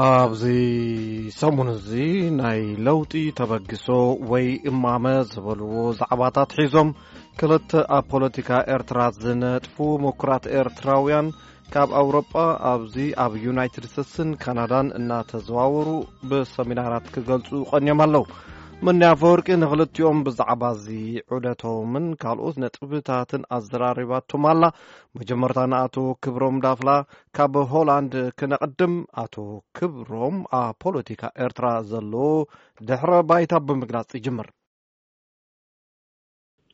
ኣብዚ ሰሙን እዚ ናይ ለውጢ ተበግሶ ወይ እማመ ዝበልዎ ዛዕባታት ሒዞም ክልተ ኣብ ፖለቲካ ኤርትራ ዝነጥፉ ምኩራት ኤርትራውያን ካብ ኣውሮጳ ኣብዚ ኣብ ዩናይትድ ስቴትስን ካናዳን እናተዘዋወሩ ብሰሚናራት ክገልጹ ቀንዮም ኣለዉ። ምንያ ኣፈወርቂ ንኽልቲኦም ብዛዕባ እዚ ዑደቶምን ካልኦት ነጥብታትን ኣዘራሪባቶም ኣላ። መጀመርታ ንኣቶ ክብሮም ዳፍላ ካብ ሆላንድ ክነቕድም። ኣቶ ክብሮም ኣብ ፖለቲካ ኤርትራ ዘሎ ድሕረ ባይታ ብምግላጽ ይጅምር።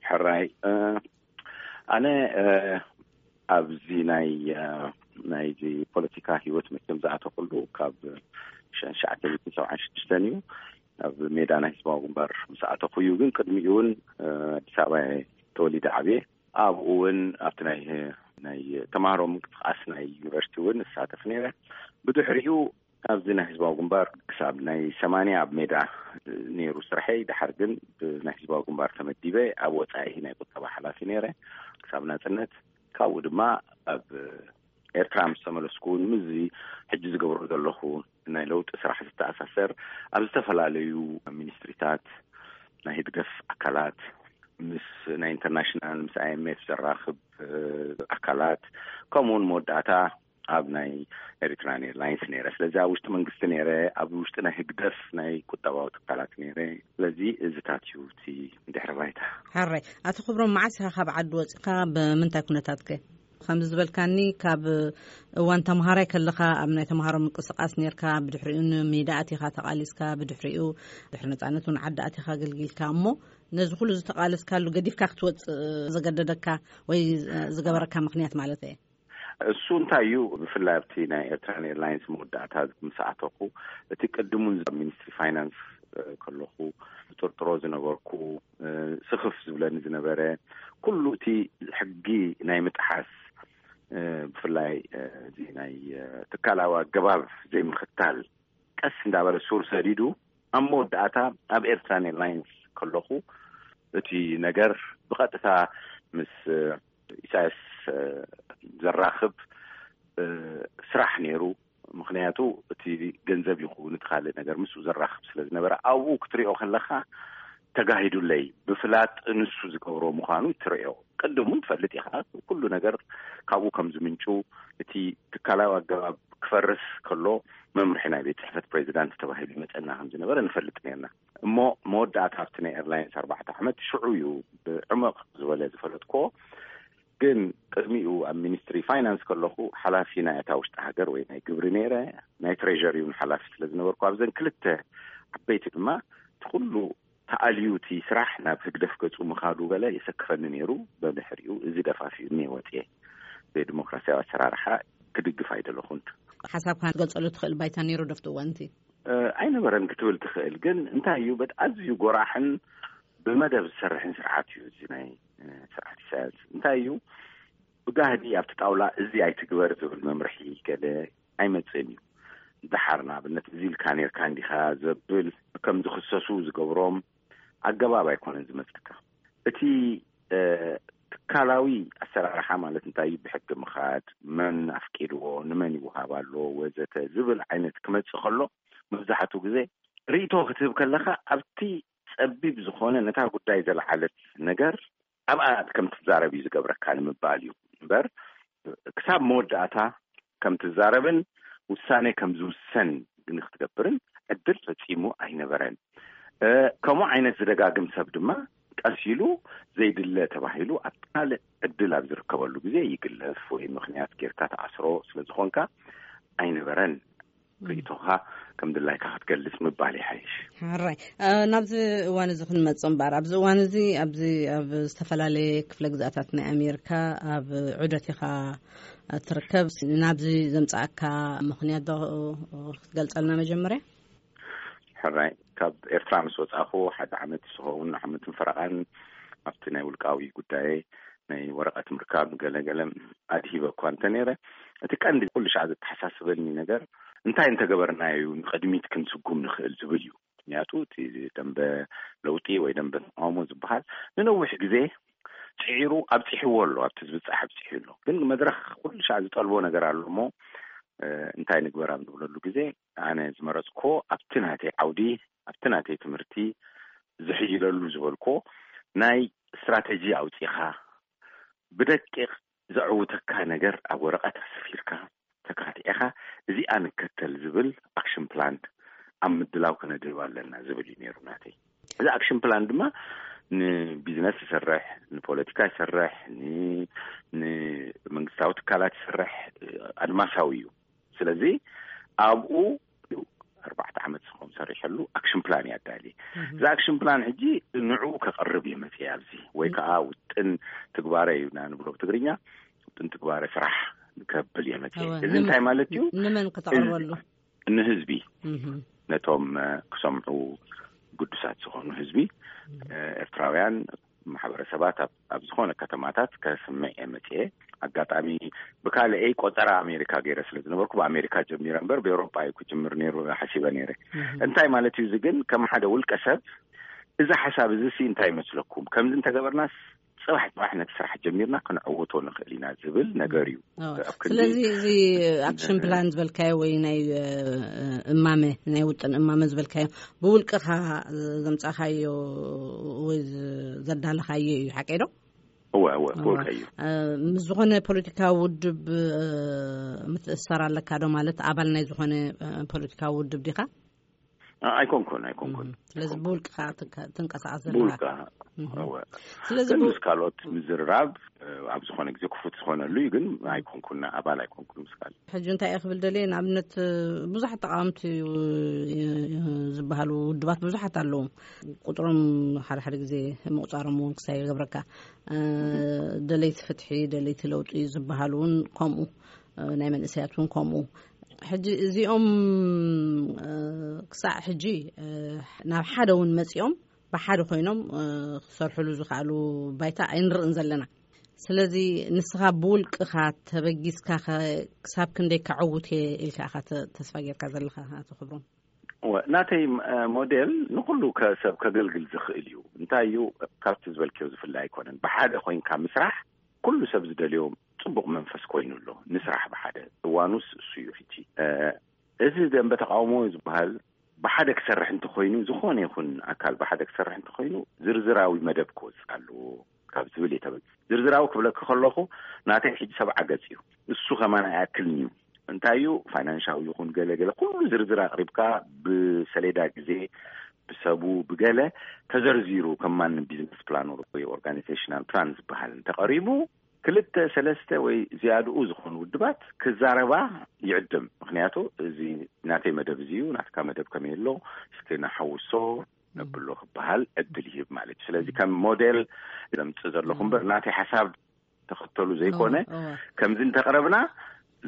ሕራይ፣ እ፣ ኣነ፣ እ፣ ኣብዚ ናይ፣ እ፣ ናይዚ ፖለቲካ ህይወት መቸም ዝኣተኹሉ ካብ ሸ-፣ ሸዓተ ሚእትን ሰብዓን ሽዱሽተን እዩ። ኣብ ሜዳ ናይ ህዝባዊ ግንባር ምስ ኣተኹ እዩ። ግን ቅድሚኡ እውን፣ እ፣ ኣዲስ ኣበባ እየ ተወሊደ ዓብየ። ኣብኡ እውን ኣብቲ ናይ፣ ናይ ተማሃሮ ምንቅስቃስ ናይ ዩኒቨርሲቲ እውን እሳተፍ ነይረ። ብድሕሪኡ ኣብዚ ናይ ህዝባዊ ግንባር ክሳብ ናይ ሰማንያ ኣብ ሜዳ ነይሩ ስርሐይ። ድሓር ግን ብናይ ህዝባዊ ግንባር ተመዲበ ኣብ ወጻኢ ናይ ቁጠባ ሓላፊ ነይረ ክሳብ ናጽነት። ካብኡ ድማ ኣብ ኤርትራ ምስ ተመለስኩ እውን ምስዚ ሕጂ ዝገብሮ ዘለኹ ናይ ለውጢ ስራሕ ዝተኣሳሰር ኣብ ዝተፈላለዩ ሚኒስትሪታት፣ ናይ ህግደፍ ኣካላት፣ ምስ ናይ ኢንተርናሽናል፣ ምስ ኣይ ኤም ኤፍ ዘራኽብ፣ እ፣ ኣካላት፣ ከምኡ እውን መወዳእታ ኣብ ናይ ኤሪትራን ኤርላይንስ ነይረ። ስለዚ ኣብ ውሽጢ መንግስቲ ነይረ፣ ኣብ ውሽጢ ናይ ህግደፍ ናይ ቁጠባዊ ትካላት ነይረ። ስለዚ እዚታት እዩ እቲ ድሕረ ባይታ። ሕራይ። ኣቶ ክብሮም፣ መዓስ ኢኻ ካብ ዓዲ ወጺኻ? ብምንታይ ኩነታት ከ? ከምዚ ዝበልካኒ፣ ካብ እዋን ተምሃራይ ከለኻ ኣብ ናይ ተምሃሮ ምንቅስቃስ ነርካ፣ ብድሕሪኡ ንሜዳ ኣቲኻ ተቓሊስካ፣ ብድሕሪኡ ድሕሪ ነጻነት እውን ዓዲ ኣቲኻ ኣገልጊልካ። እሞ ነዚ ኩሉ ዝተቓለስካሉ ገዲፍካ ክትወጽእ ዘገደደካ ወይ ዝገበረካ ምኽንያት ማለት እየ? እሱ እንታይ እዩ፣ ብፍላይ ኣብቲ ናይ ኤርትራን ኤርላይንስ መወዳእታ ምስ ኣተኹ፣ እቲ ቅድሙን ኣብ ሚኒስትሪ ፋይናንስ፣ እ፣ ከለኹ ዝጥርጥሮ ዝነበርኩ፣ እ፣ ስኽፍ ዝብለኒ ዝነበረ፣ ኩሉ እቲ ሕጊ ናይ ምጥሓስ፣ እ፣ ብፍላይ፣ እ፣ እዚ ናይ፣ እ፣ ትካላዊ ኣገባብ ዘይምኽታል ቀስ እንዳበለ ሱር ሰዲዱ፣ ኣብ መወዳእታ ኣብ ኤርትራን ኤርላይንስ ከለኹ፣ እቲ ነገር ብቐጥታ ምስ፣ እ፣ ኢሳያስ፣ እ፣ ዘራኽብ፣ እ፣ ስራሕ ነይሩ። ምኽንያቱ እቲ ገንዘብ ይኹን እቲ ካልእ ነገር ምስኡ ዘራኽብ ስለ ዝነበረ፣ ኣብኡ ክትሪኦ ከለኻ ተጋሂዱለይ። ብፍላጥ ንሱ ዝገብሮ ምዃኑ ትሪኦ። ቅድም እውን ትፈልጥ ኢኻ፣ ኩሉ ነገር ካብኡ ከም ዝምንጩ፣ እቲ ትካላዊ ኣገባብ ክፈርስ ከሎ መምርሒ ናይ ቤት ጽሕፈት ፕሬዚዳንት ተባሂሉ ይመጸና ከም ዝነበረ ንፈልጥ ነርና። እሞ መወዳእታ ኣብቲ ናይ ኤርላይንስ ኣርባዕተ ዓመት ሽዑ እዩ ብዕመቕ ዝበለ ዝፈለጥክዎ። ግን ቅድሚኡ ኣብ ሚኒስትሪ ፋይናንስ ከለኹ ሓላፊ ናይ እታ ውሽጢ ሃገር ወይ ናይ ግብሪ ነይረ፣ ናይ ትሬዠሪ እውን ሓላፊ ስለ ዝነበርኩ ኣብዘን ክልተ ዓበይቲ ድማ እቲ ኩሉ ተኣልዩ እቲ ስራሕ ናብ ህግደፍ ገጹ ምኻዱ ገለ የሰክፈኒ ነይሩ። በድሕሪኡ እዚ ደፋፊኡኒ ወጽየ። ብዲሞክራሲያዊ ኣሰራርሓ ክድግፍ ኣይደለኹን። ሓሳብካ ክትገልጸሉ ትኽእል ባይታ ነይሩ ዶ ኣብቲ እዋን እቲ? እ፣ ኣይነበረን ክትብል ትኽእል። ግን እንታይ እዩ፣ በጥ-፣ ኣዝዩ ጎራሕን ብመደብ ዝሰርሕን ስርዓት እዩ እዚ ናይ፣ እ፣ ስርዓት ኢሳያስ። እንታይ እዩ፣ ብጋህዲ ኣብቲ ጣውላ እዚ ኣይትግበር ዝብል መምርሒ ገለ ኣይመጽእን እዩ። ደሓር ንኣብነት እዚ ኢልካ ኔርካ እንዲኻ ዘብል ከም ዝኽሰሱ ዝገብሮም ኣገባብ ኣይኮነን ዝመጸካ። እቲ፣ እ፣ ትካላዊ ኣሰራርሓ ማለት እንታይ እዩ፣ ብሕጊ ምኻድ፣ መን ኣፍቂድዎ፣ ንመን ይወሃብ ኣሎ፣ ወዘተ ዝብል ዓይነት ክመጽእ ከሎ፣ መብዛሕትኡ ግዜ ርእይቶ ክትህብ ከለኻ ኣብቲ ጸቢብ ዝኾነ ነታ ጉዳይ ዘለዓለት ነገር ኣብኣ ከም ትዛረብ እዩ ዝገብረካ ንምባል እዩ እምበር፣ ክሳብ መወዳእታ ከም ትዛረብን ውሳኔ ከም ዝውሰን ግን ክትገብርን ዕድል ፈጺሙ ኣይነበረን። እ፣ ከምኡ ዓይነት ዝደጋግም ሰብ ድማ ቀስ ኢሉ ዘይድለ ተባሂሉ ኣብ ካልእ ዕድል ኣብ ዝርከበሉ ግዜ ይግለፍ ወይ ምኽንያት ጌርካ ተኣስሮ ስለ ዝኾንካ ኣይነበረን። ርእይቶኻ ከም ድላይካ ክትገልጽ ምባል ይሓይሽ። ሕራይ። እ፣ ናብዚ እዋን እዚ ክንመጽእ እምበኣር፣ ኣብዚ እዋን እዚ ኣብዚ ኣብ ዝተፈላለየ ክፍለ ግዝኣታት ናይ ኣሜሪካ ኣብ ዑደት ኢኻ ትርከብ። ናብዚ ዘምጽኣካ ምኽንያት ዶ ክትገልጸልና መጀመርያ? ሕራይ፣ ካብ ኤርትራ ምስ ወጻኹ ሓደ ዓመት ዝኸውን ዓመትን ፈረቓን ኣብቲ ናይ ውልቃዊ ጉዳየ ናይ ወረቐት ምርካብ ገለ ገለ ኣድሂበ እኳ እንተ ነይረ፣ እቲ ቀንዲ ኩሉ ሻዕ ዘተሓሳስበኒ ነገር እንታይ እንተገበርና እዩ ንቕድሚት ክንስጉም ንኽእል ዝብል እዩ። ምክንያቱ እቲ ደንበ ለውጢ ወይ ደንበ ተቃውሞ ዝበሃል ንነዊሕ ግዜ ጽዒሩ ኣብጺሕዎ ኣሎ፣ ኣብቲ ዝብጻሕ ኣብጺሑ ኣሎ። ግን መድረኽ ኩሉ ሻዕ ዝጠልቦ ነገር ኣሎ እሞ፣ እ፣ እንታይ ንግበር ኣብ ንብለሉ ግዜ፣ ኣነ ዝመረጽኮ ኣብቲ ናተይ ዓውዲ፣ ኣብቲ ናተይ ትምህርቲ ዝሕይለሉ ዝበልኮ ናይ ስትራተጂ ኣውጺኻ፣ ብደቂቕ ዘዕውተካ ነገር ኣብ ወረቐት ኣስፊርካ ተካቲዕኻ፣ እዚኣ ንከተል ዝብል ኣክሽን ፕላን ኣብ ምድላው ከነድህብ ኣለና ዝብል እዩ ነይሩ ናተይ። እዚ ኣክሽን ፕላን ድማ ንቢዝነስ ዝሰርሕ፣ ንፖለቲካ ዝሰርሕ፣ ን-፣ ንመንግስታዊ ትካላት ዝሰርሕ ኣድማሳዊ እዩ። ስለዚ ኣብኡ ኣርባዕተ ዓመት ዝኸውን ሰሪሐሉ ኣክሽን ፕላን እየ ኣዳሊ። እዚ ኣክሽን ፕላን ሕጂ ንዕኡ ከቕርብ እየ መፅየ ኣብዚ፣ ወይ ከዓ ውጥን ትግባረ እዩ ኢና ንብሎ ብትግርኛ፣ ውጥን ትግባረ ስራሕ ከብል እየ መፅየ። እወ፣ እዚ ንመ-፣ እንታይ ማለት እዩ? ንመን ክተቕርበሉ? ንህዝቢ፣ እህ። ነቶም፣ እ፣ ክሰምዑ ግዱሳት ዝኾኑ ህዝቢ፣ እ፣ ኤርትራውያን ማሕበረሰባት ኣብ፣ ኣብ ዝኾነ ከተማታት ከስምዕ እየ መፅየ። ኣጋጣሚ ብካልኤይ ቆፀራ ኣሜሪካ ገይረ ስለ ዝነበርኩ ብኣሜሪካ ጀሚረ እምበር ብኤውሮጳ እዩ ክጅምር ነይሩ ሓሲበ ነይረ። እህ። እንታይ ማለት እዩ እዚ ግን ከም ሓደ ውልቀ ሰብ እዚ ሓሳብ እዚ ሲ እንታይ ይመስለኩም? ከምዚ እንተገበርናስ ጽባሕ ጽባሕ ነቲ ስራሕ ጀሚርና ክንዕውቶ ንኽእል ኢና ዝብል ነገር እዩ። ኣዎ። ኣብ ክንዲ ስለዚ እዚ ኣክሽን ፕላን ዝበልካዮ ወይ ናይ፣ እ፣ እማመ፣ ናይ ውጥን እማመ ዝበልካዮ ብውልቅኻ ዘምጻኻዮ ወይ ዘዳለኻዮ እዩ፣ ሓቀይ ዶ? እወ፣ እወ፣ እወ። ብውልቀይ እዩ። እ፣ ምስ ዝኾነ ፖለቲካዊ ውድብ፣ እ፣ ምትእስሳር ኣለካ ዶ? ማለት ኣባል ናይ ዝኾነ፣ እ፣ ፖለቲካዊ ውድብ ዲኻ? ኣ-፣ ኣይኮንኩን፣ ኣይኮንኩን፣ እም፣ ስለዚ ኣይኮንኩን። ብውልቅኻ ትንቀ-፣ ትንቀሳቐስ ዘለኻ። ብውልቅኻ፣ እም። እወ። ስለዚ ግን ብ-፣ ምስ ካልኦት ምዝርራብ፣ እ፣ ኣብ ዝኾነ ግዜ ክፉት ዝኾነሉ እዩ፣ ግን ኣይኮንኩን፣ ኣባል ኣይኮንኩን ምስ ካልእ። ሕጂ እንታይ እየ ክብል ደልየ፣ ንኣብነት፣ እ፣ ብዙሓት ተቓወምቲ፣ እ፣ ዝበሃሉ ውድባት ብዙሓት ኣለዉ። ቁጽሮም ሓደ ሓደ ግዜ ምቑጻሮም እውን ክሳይ ይገብረካ። እ፣ ደለይቲ ፍትሒ፣ ደለይቲ ለውጢ ዝበሃሉ እውን ከምኡ፣ እ፣ ናይ መንእሰያት እውን ከምኡ። ሕጂ እዚኦም፣ እ፣ ክሳዕ ሕጂ፣ እ፣ ናብ ሓደ እውን መጺኦም ብሓደ ኮይኖም፣ እ፣ ክሰርሕሉ ዝኽኣሉ ባይታ ኣይንርእን ዘለና። ስለዚ ንስኻ ብውልቅኻ ተበጊስካ ኸ ክሳብ ክንደይ ከዐውት እየ ኢልካ ኢኻ ተ-፣ ተስፋ ጌርካ ዘለኻ ኣቶ ክብሮም? እወ፣ ናተይ፣ እ፣ ሞዴል ንኹሉ ከ-፣ ሰብ ከገልግል ዝኽእል እዩ። እንታይ እዩ፣ ካብቲ ዝበልክዮ ዝፍለ ኣይኮነን። ብሓደ ኮይንካ ምስራሕ ኩሉ ሰብ ዝደልዮ ጽቡቕ መንፈስ ኮይኑ ኣሎ። ንስራሕ ብሓደ፣ እዋኑስ እሱ እዩ ሕጂ። እ፣ እዚ ደንበ ተቃውሞ ዝበሃል ብሓደ ክሰርሕ እንተኾይኑ፣ ዝኾነ ይኹን ኣካል ብሓደ ክሰርሕ እንተኾይኑ፣ ዝርዝራዊ መደብ ክወጽእ ኣለዎ ካብ ዝብል እየ ተበጊሰ። ዝርዝራዊ ክብለኪ ከለኹ፣ ናተይ ሕጂ ሰብዓ ገጽ እዩ። እሱ ከማን ኣይኣክልን እዩ። እንታይ እዩ፣ ፋይናንሻዊ ይኹን ገለ ገለ፣ ኩሉ ዝርዝር ኣቕሪብካ፣ ብሰሌዳ ግዜ፣ ብሰቡ፣ ብገለ ተዘርዚሩ፣ ከማን ቢዝነስ ፕላን ወይ ኦርጋኒዜሽናል ፕላን ዝበሃል እንተቐሪቡ፣ ክልተ፣ ሰለስተ ወይ ዝያድኡ ዝኾኑ ውድባት ክዛረባ ይዕድም። ምኽንያቱ፣ እዚ ናተይ መደብ እዚ እዩ፣ ናትካ መደብ ከመይ ኣሎ፣ እስኪ ንሓውሶ ነብሎ ክበሃል ዕድል ይህብ ማለት እዩ። ስለዚ፣ ከም ሞዴል ዘምጽእ ዘለኹ እምበር፣ ናተይ ሓሳብ ተኸተሉ ዘይኮነ፣ እወ፣ እወ። ከምዚ እንተቕረብና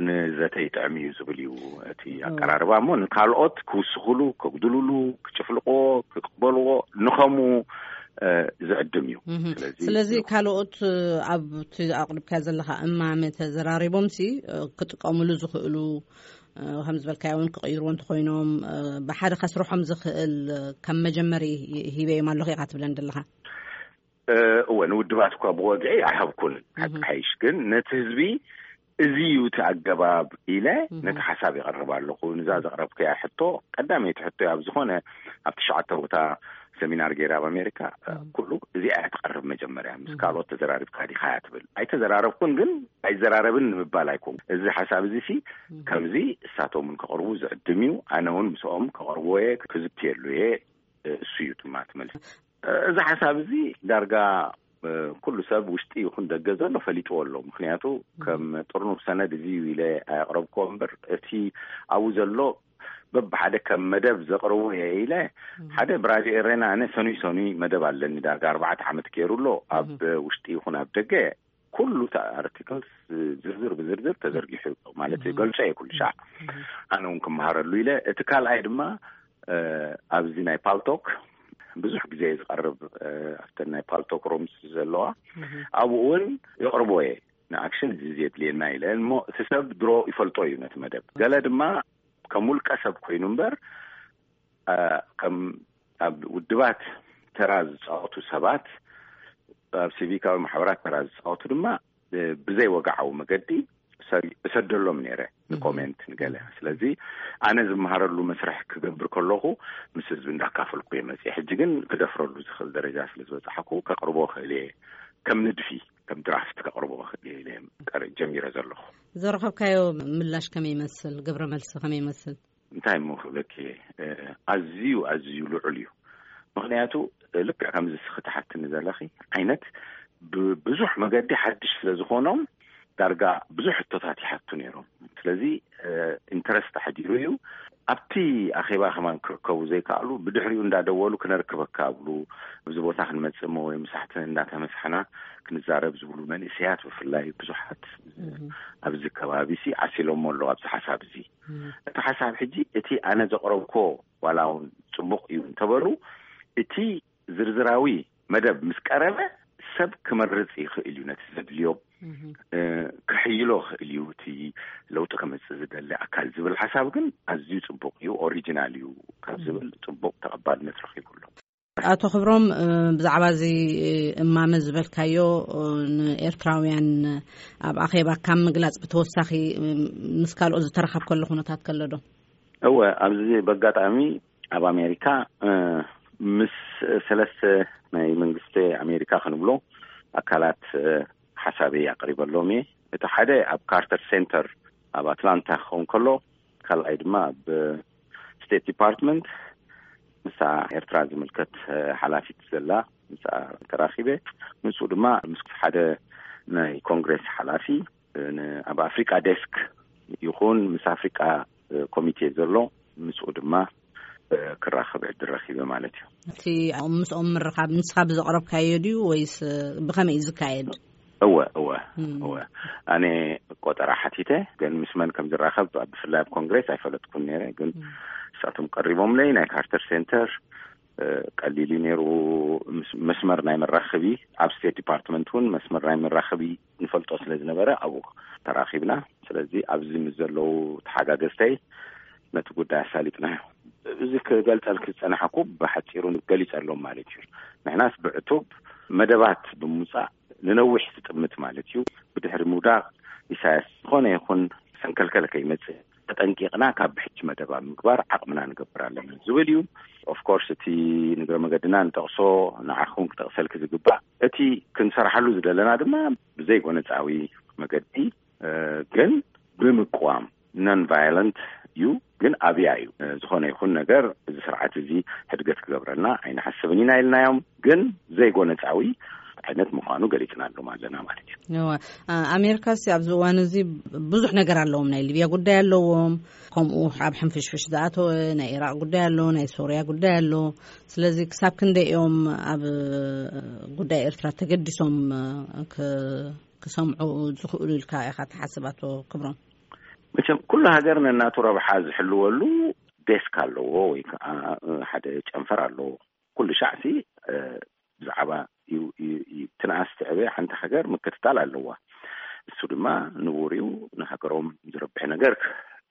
ንዘተ ይጥዕም እዩ ዝብል እዩ እቲ እወ። ኣቀራርባ። እሞ ንካልኦት ክውስኹሉ፣ ከጉድሉሉ፣ ክጭፍልቕዎ፣ ክቕበልዎ፣ ንኸምኡ፣ እ፣ ዝዕድም እዩ። እህ። ስለዚ ስለዚ ካልኦት፣ እ፣ ኣብቲ ኣቕሪብካዮ ዘለኻ እማመ ተዘራሪቦምሲ፣ እ፣ ክጥቀምሉ ዝኽእሉ፣ እ፣ ከም ዝበልካዮ እውን ክቕይርዎ እንተኾይኖም፣ እ፣ ብሓደ ከስርሖም ዝኽእል፣ እ፣ ከም መጀመሪ ሂበዮም ኣለኹ ኢኻ ትብለን ዘለኻ? እ፣ እወ፣ ንውድባት እኳ ብወግዒ ኣይሃብኩን። እህ። ሓቂ ሓይሽ ግን ነቲ ህዝቢ እዚ እዩ እቲ ኣገባብ ኢለ እህ። ነቲ ሓሳብ የቕርብ ኣለኹ። ንዛ ዘቕረብኩያ ሕቶ፣ ቀዳመይቲ ሕቶ ኣብ ዝኾነ ኣብ ትሽዓተ ቦታ ሰሚናር ገይረ ኣብ ኣሜሪካ፣ እ፣ እህ። ኩሉ እዚኣ እያ ትቐርብ መጀመርያ። ምስ እህ። ካልኦት ተዘራሪብካ ዲኻ እያ ትብል። ኣይተዘራረብኩን ግን ኣይዘራረብን ንምባል ኣይኮን። እዚ ሓሳብ እዚ ሲ እህ። ከምዚ እሳቶም እውን ከቕርቡ ዝዕድም እዩ። ኣነ እውን ምስኦም ከቕርብዎ እየ፣ ክዝትየሉ እየ። እ፣ እሱ እዩ ድማ እቲ መልሲ። እ፣ እዚ ሓሳብ እዚ ዳርጋ፣ እ፣ ኩሉ ሰብ ውሽጢ ይኹን ደገ ዘሎ ፈሊጥዎ ኣሎ። ምኽንያቱ ከም ጥርኑፍ ሰነድ እዚ እዩ ኢለ ኣየቕረብክዎ እምበር፣ እቲ ኣብኡ ዘሎ በብሓደ ከም መደብ ዘቕርቦ እየ ኢለ፣ እም። ሓደ ብራድዮ ኤሬና ኣነ ሰኑይ ሰኑይ መደብ ኣለኒ፣ ዳርጋ ኣርባዕተ ዓመት ገይሩ ኣሎ። ኣብ እም። ውሽጢ ይኹን ኣብ ደገ ኩሉ እቲ ኣርቲክልስ ዝርዝር ብዝርዝር ተዘርጊሑ ኣሎ። ማለት እም። ገልጾ እየ ኩሉ ሻዕ። እም። ኣነ እውን ክመሃረሉ ኢለ። እቲ ካልኣይ ድማ፣ እ፣ ኣብዚ ናይ ፓልቶክ ብዙሕ ግዜ ዝቐርብ፣ እ፣ ኣብተን ናይ ፓልቶክ ሮምስ ዘለዋ፣ እህ። ኣብኡ እውን የቕርቦ እየ። ንኣክሽን እዚ ዘድልየና ኢለ እሞ፣ እቲ ሰብ ድሮ ይፈልጦ እዩ ነቲ መደብ። ገለ ድማ ከም ውልቀ ሰብ ኮይኑ እምበር፣ እ፣ ከም ኣብ ውድባት ተራ ዝጻወቱ ሰባት ኣብ ሲቪካዊ ማሕበራት ተራ ዝፃወቱ ድማ ብዘይ ወግዓዊ መገዲ እሰደሎም ነይረ ንኮሜንት ንገለ። ስለዚ ኣነ ዝመሃረሉ መስርሕ ክገብር ከለኹ ምስ ህዝቢ እንዳካፈልኩ እየ መፅእ። ሕጂ ግን ክደፍረሉ ዝኽእል ደረጃ ስለ ዝበፃሕኩ ከቕርቦ ክእል እየ፣ ከም ንድፊ ከም ድራፍት ከቕርቦ ክእል እየ ኢለ እየ ቀር- ጀሚረ ዘለኹ። ዘረኸብካዮ ምላሽ ከመይ ይመስል? ግብረ መልሲ ከመይ ይመስል? እንታይ እሞ ክብለኪ እየ፣ ኣዝዩ ኣዝዩ ልዑል እዩ። ምክንያቱ ልክዕ ከምዚ ስኺ ትሓትኒ ዘለኺ ዓይነት ብብዙሕ መገዲ ሓድሽ ስለ ዝኾኖም ዳርጋ ብዙሕ ሕቶታት ይሓቱ ነይሮም። ስለዚ ኢንተረስት ኣሕዲሩ እዩ። ኣብቲ ኣኼባ ከማን ክርከቡ ዘይከኣሉ ብድሕሪኡ እንዳደወሉ ክነርክበካ ኣብሉ፣ ኣብዚ ቦታ ክንመጽእ እሞ ወይ ምሳሕቲ እንዳተመሳሕና ክንዛረብ ዝብሉ መንእሰያት ብፍላይ ብዙሓት ኣብዚ ከባቢ ሲ ዓሲሎሞ ኣለዉ ኣብዚ ሓሳብ እዚ። እቲ ሓሳብ ሕጂ እቲ ኣነ ዘቕረብኮ ዋላ እውን ጽቡቕ እዩ እንተበሉ እቲ ዝርዝራዊ መደብ ምስ ቀረበ ሰብ ክመርጽ ይኽእል እዩ ነቲ ዘድልዮ ክሕይሎ ክእል እዩ እቲ ለውጢ ከመፅእ ዝደሊ ኣካል ዝብል ሓሳብ ግን ኣዝዩ ፅቡቅ እዩ፣ ኦሪጂናል እዩ ካብ ዝብል ፅቡቅ ተቐባልነት ረኪቡ ኣሎ። ኣቶ ክብሮም፣ ብዛዕባ እዚ እማመ ዝበልካዮ ንኤርትራውያን ኣብ ኣኼባ ካብ ምግላፅ ብተወሳኺ ምስ ካልኦት ዝተረኻብከሉ ኩነታት ከሎ ዶ? እወ፣ ኣብዚ በጋጣሚ ኣብ ኣሜሪካ ምስ ሰለስተ ናይ መንግስቲ ኣሜሪካ ክንብሎ ኣካላት ሓሳበይ ኣቅሪበሎም እየ። እቲ ሓደ ኣብ ካርተር ሴንተር ኣብ ኣትላንታ ክኸውን ከሎ፣ ካልኣይ ድማ ኣብ ስቴት ዲፓርትመንት ምስኣ ኤርትራ ዝምልከት ሓላፊት ዘላ ምስኣ ተራኺበ። ምስኡ ድማ ምስ ሓደ ናይ ኮንግሬስ ሓላፊ ኣብ ኣፍሪቃ ዴስክ ይኹን ምስ ኣፍሪቃ ኮሚቴ ዘሎ ምስኡ ድማ ክራኸብ ዕድል ረኺበ ማለት እዩ። እቲ ምስኦም ምርኻብ ንስኻ ብዘቕረብካዮ ድዩ ወይስ ብኸመይ እዩ ዝካየድ? እወ እወ እወ ኣነ ቆጠራ ሓቲተ፣ ግን ምስ መን ከም ዝራኸብ ብፍላይ ኣብ ኮንግሬስ ኣይፈለጥኩን ነይረ። ግን ንሳቶም ቀሪቦምለይ። ናይ ካርተር ሴንተር ቀሊል እዩ ነይሩ። መስመር ናይ መራኸቢ ኣብ ስቴት ዲፓርትመንት እውን መስመር ናይ መራኸቢ ንፈልጦ ስለ ዝነበረ ኣብኡ ተራኺብና። ስለዚ ኣብዚ ምስ ዘለዉ ተሓጋገዝተይ ነቲ ጉዳይ ኣሳሊጥናዮ። እዚ ክገልጸልኪ ዝጸናሕኩ ብሓጺሩ ገሊጸሎም ማለት እዩ። ንሕናስ ብዕቱብ መደባት ብምውጻእ ንነዊሕ ዝጥምት ማለት እዩ። ብድሕሪ ምውዳቕ ኢሳያስ ዝኾነ ይኹን ሰንከልከል ከይመጽእ ተጠንቂቕና ካብ ብሕጂ መደብ ኣብ ምግባር ዓቕምና ንገብር ኣለና ዝብል እዩ። ኦፍኮርስ እቲ ንግረ መገድና ንጠቕሶ ንዓኹም ክጠቕሰልኪ ዝግባእ እቲ ክንሰርሓሉ ዝደለና ድማ ብዘይጎነጻዊ መገዲ ግን ብምቅዋም ነን ቫዮለንት እዩ። ግን ኣብያ እዩ ዝኾነ ይኹን ነገር እዚ ስርዓት እዚ ሕድገት ክገብረና ኣይንሓስብን ኢና ኢልናዮም። ግን ዘይጎነጻዊ ዓይነት ምዃኑ ገሊጽናሎም ኣለና ማለት እዩ። እወ፣ ኣሜሪካ ሲ ኣብዚ እዋን እዚ ብዙሕ ነገር ኣለዎም። ናይ ሊብያ ጉዳይ ኣለዎም፣ ከምኡ ኣብ ሕንፍሽፍሽ ዝኣተወ ናይ ኢራቅ ጉዳይ ኣሎ፣ ናይ ሶርያ ጉዳይ ኣሎ። ስለዚ ክሳብ ክንደይ እዮም ኣብ ጉዳይ ኤርትራ ተገዲሶም ክሰምዑ ዝኽእሉ ኢልካ ኢኻ ትሓስብ ኣቶ ክብሮም? መቸም ኩሉ ሃገር ነናቱ ረብሓ ዝሕልወሉ ዴስክ ኣለዎ ወይ ከዓ ሓደ ጨንፈር ኣለዎ። ኩሉ ሻዕ ሲ ብዛዕባ ትንኣስ ትዕበ ሓንቲ ሃገር ምክትታል ኣለዋ። እሱ ድማ ንቡር እዩ። ንሃገሮም ዝረብሕ ነገር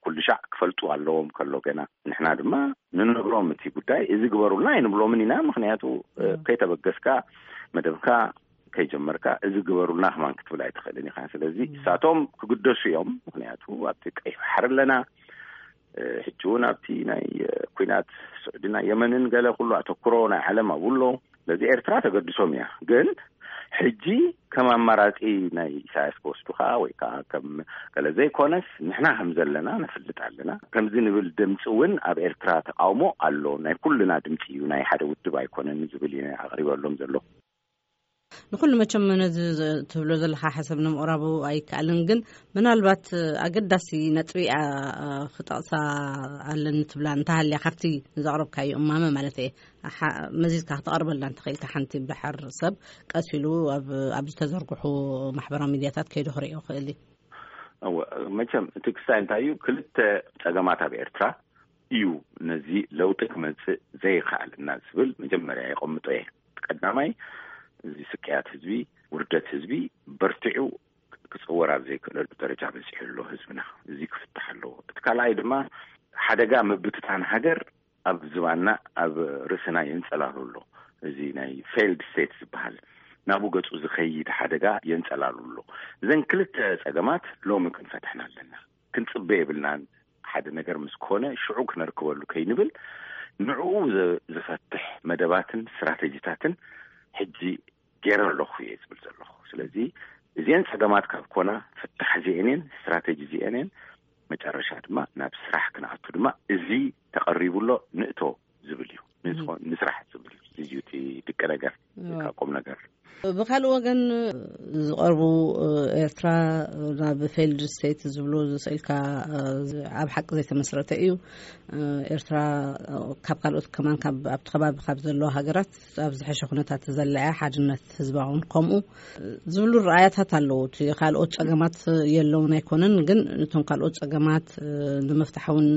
ኩሉ ሻዕ ክፈልጡ ኣለዎም ከሎ ገና ንሕና ድማ ንነግሮም እቲ ጉዳይ እዚ ግበሩልና ኣይንብሎምን ኢና። ምክንያቱ ከይተበገስካ መደብካ ከይጀመርካ እዚ ግበሩልና ከማን ክትብል ኣይትኽእልን ኢኻ። ስለዚ እሳቶም ክግደሱ እዮም። ምክንያቱ ኣብቲ ቀይሕ ባሕሪ ኣለና። ሕጂ እውን ኣብቲ ናይ ኩናት ስዑድና የመንን ገለ ኩሉ ኣተኩሮ ናይ ዓለም ኣብኡ ኣሎ። ስለዚ ኤርትራ ተገድሶም እያ። ግን ሕጂ ከም ኣማራጺ ናይ ኢሳያስ ክወስዱኻ ወይ ከዓ ከም ገለ ዘይኮነስ ንሕና ከም ዘለና ነፍልጥ ኣለና። ከምዚ ንብል ድምፂ እውን ኣብ ኤርትራ ተቃውሞ ኣሎ። ናይ ኩልና ድምፂ እዩ፣ ናይ ሓደ ውድብ ኣይኮነን ዝብል እዩ ኣቅሪበሎም ዘሎ። ንኩሉ መቸም ነዚ ትብሎ ዘለካ ሓሳብ ንምቕራቡ ኣይከኣልን፣ ግን ምናልባት ኣገዳሲ ነጥቢ ክጠቕሳ ኣለኒ ትብላ እንተሃልያ ካብቲ ዘቕረብካዮ እማመ ማለት እየ መዚዝካ ክተቐርበልና እንተኽኢልካ ሓንቲ ብድሓር ሰብ ቀስ ኢሉ ኣብ ዝተዘርግሑ ማሕበራዊ ሚድያታት ከይዱ ክርእዮ ክእል እዩ። መቸም እቲ ክስታይ እንታይ እዩ፣ ክልተ ፀገማት ኣብ ኤርትራ እዩ ነዚ ለውጢ ክመፅእ ዘይከኣልና ዝብል መጀመርያ የቐምጦ እየ። ቀዳማይ እዚ ስቅያት ህዝቢ፣ ውርደት ህዝቢ በርቲዑ ክፅወር ኣብ ዘይክእለሉ ደረጃ በፂሑ ኣሎ ህዝብና። እዚ ክፍታሕ ኣለዎ። እቲ ካልኣይ ድማ ሓደጋ ምብትታን ሃገር ኣብ ዝባንና ኣብ ርእስና የንፀላሉ ኣሎ። እዚ ናይ ፌይልድ ስቴት ዝበሃል ናብኡ ገጹ ዝኸይድ ሓደጋ የንጸላሉ ኣሎ። እዘን ክልተ ጸገማት ሎሚ ክንፈትሐን ኣለና። ክንጽበ የብልናን። ሓደ ነገር ምስ ኮነ ሽዑ ክነርክበሉ ከይንብል፣ ንዕኡ ዝ- ዝፈትሕ መደባትን ስትራተጂታትን ሕጂ ገይረ ኣለኹ እየ ዝብል ዘለኹ። ስለዚ እዚአን ጸገማት ካብ ኮና፣ ፍታሕ እዚአን እየን፣ ስትራተጂ እዚአን እየን፣ መጨረሻ ድማ ናብ ስራሕ ክንኣቱ ድማ እዚ ተቐሪቡ ኣሎ፣ ንእቶ ዝብል እዩ። ንስራሕ ዝብል እዩ እቲ ድቂ ነገር። ቁም ነገር። ብካልእ ወገን ዝቐርቡ፣ ኤርትራ ናብ ፌልድ ስቴት ዝብሉ ዝስእልካ ኣብ ሓቂ ዘይተመስረተ እዩ። ኤርትራ ካብ ካልኦት ከማን፣ ኣብቲ ከባቢ ካብ ዘለዋ ሃገራት ኣብ ዝሐሸ ኩነታት ዘለያ፣ ሓድነት ህዝባውን ከምኡ ዝብሉ ረኣያታት ኣለዉ። እቲ ካልኦት ጸገማት የለውን ኣይኮነን፣ ግን እቶም ካልኦት ጸገማት ንምፍታሕ እውን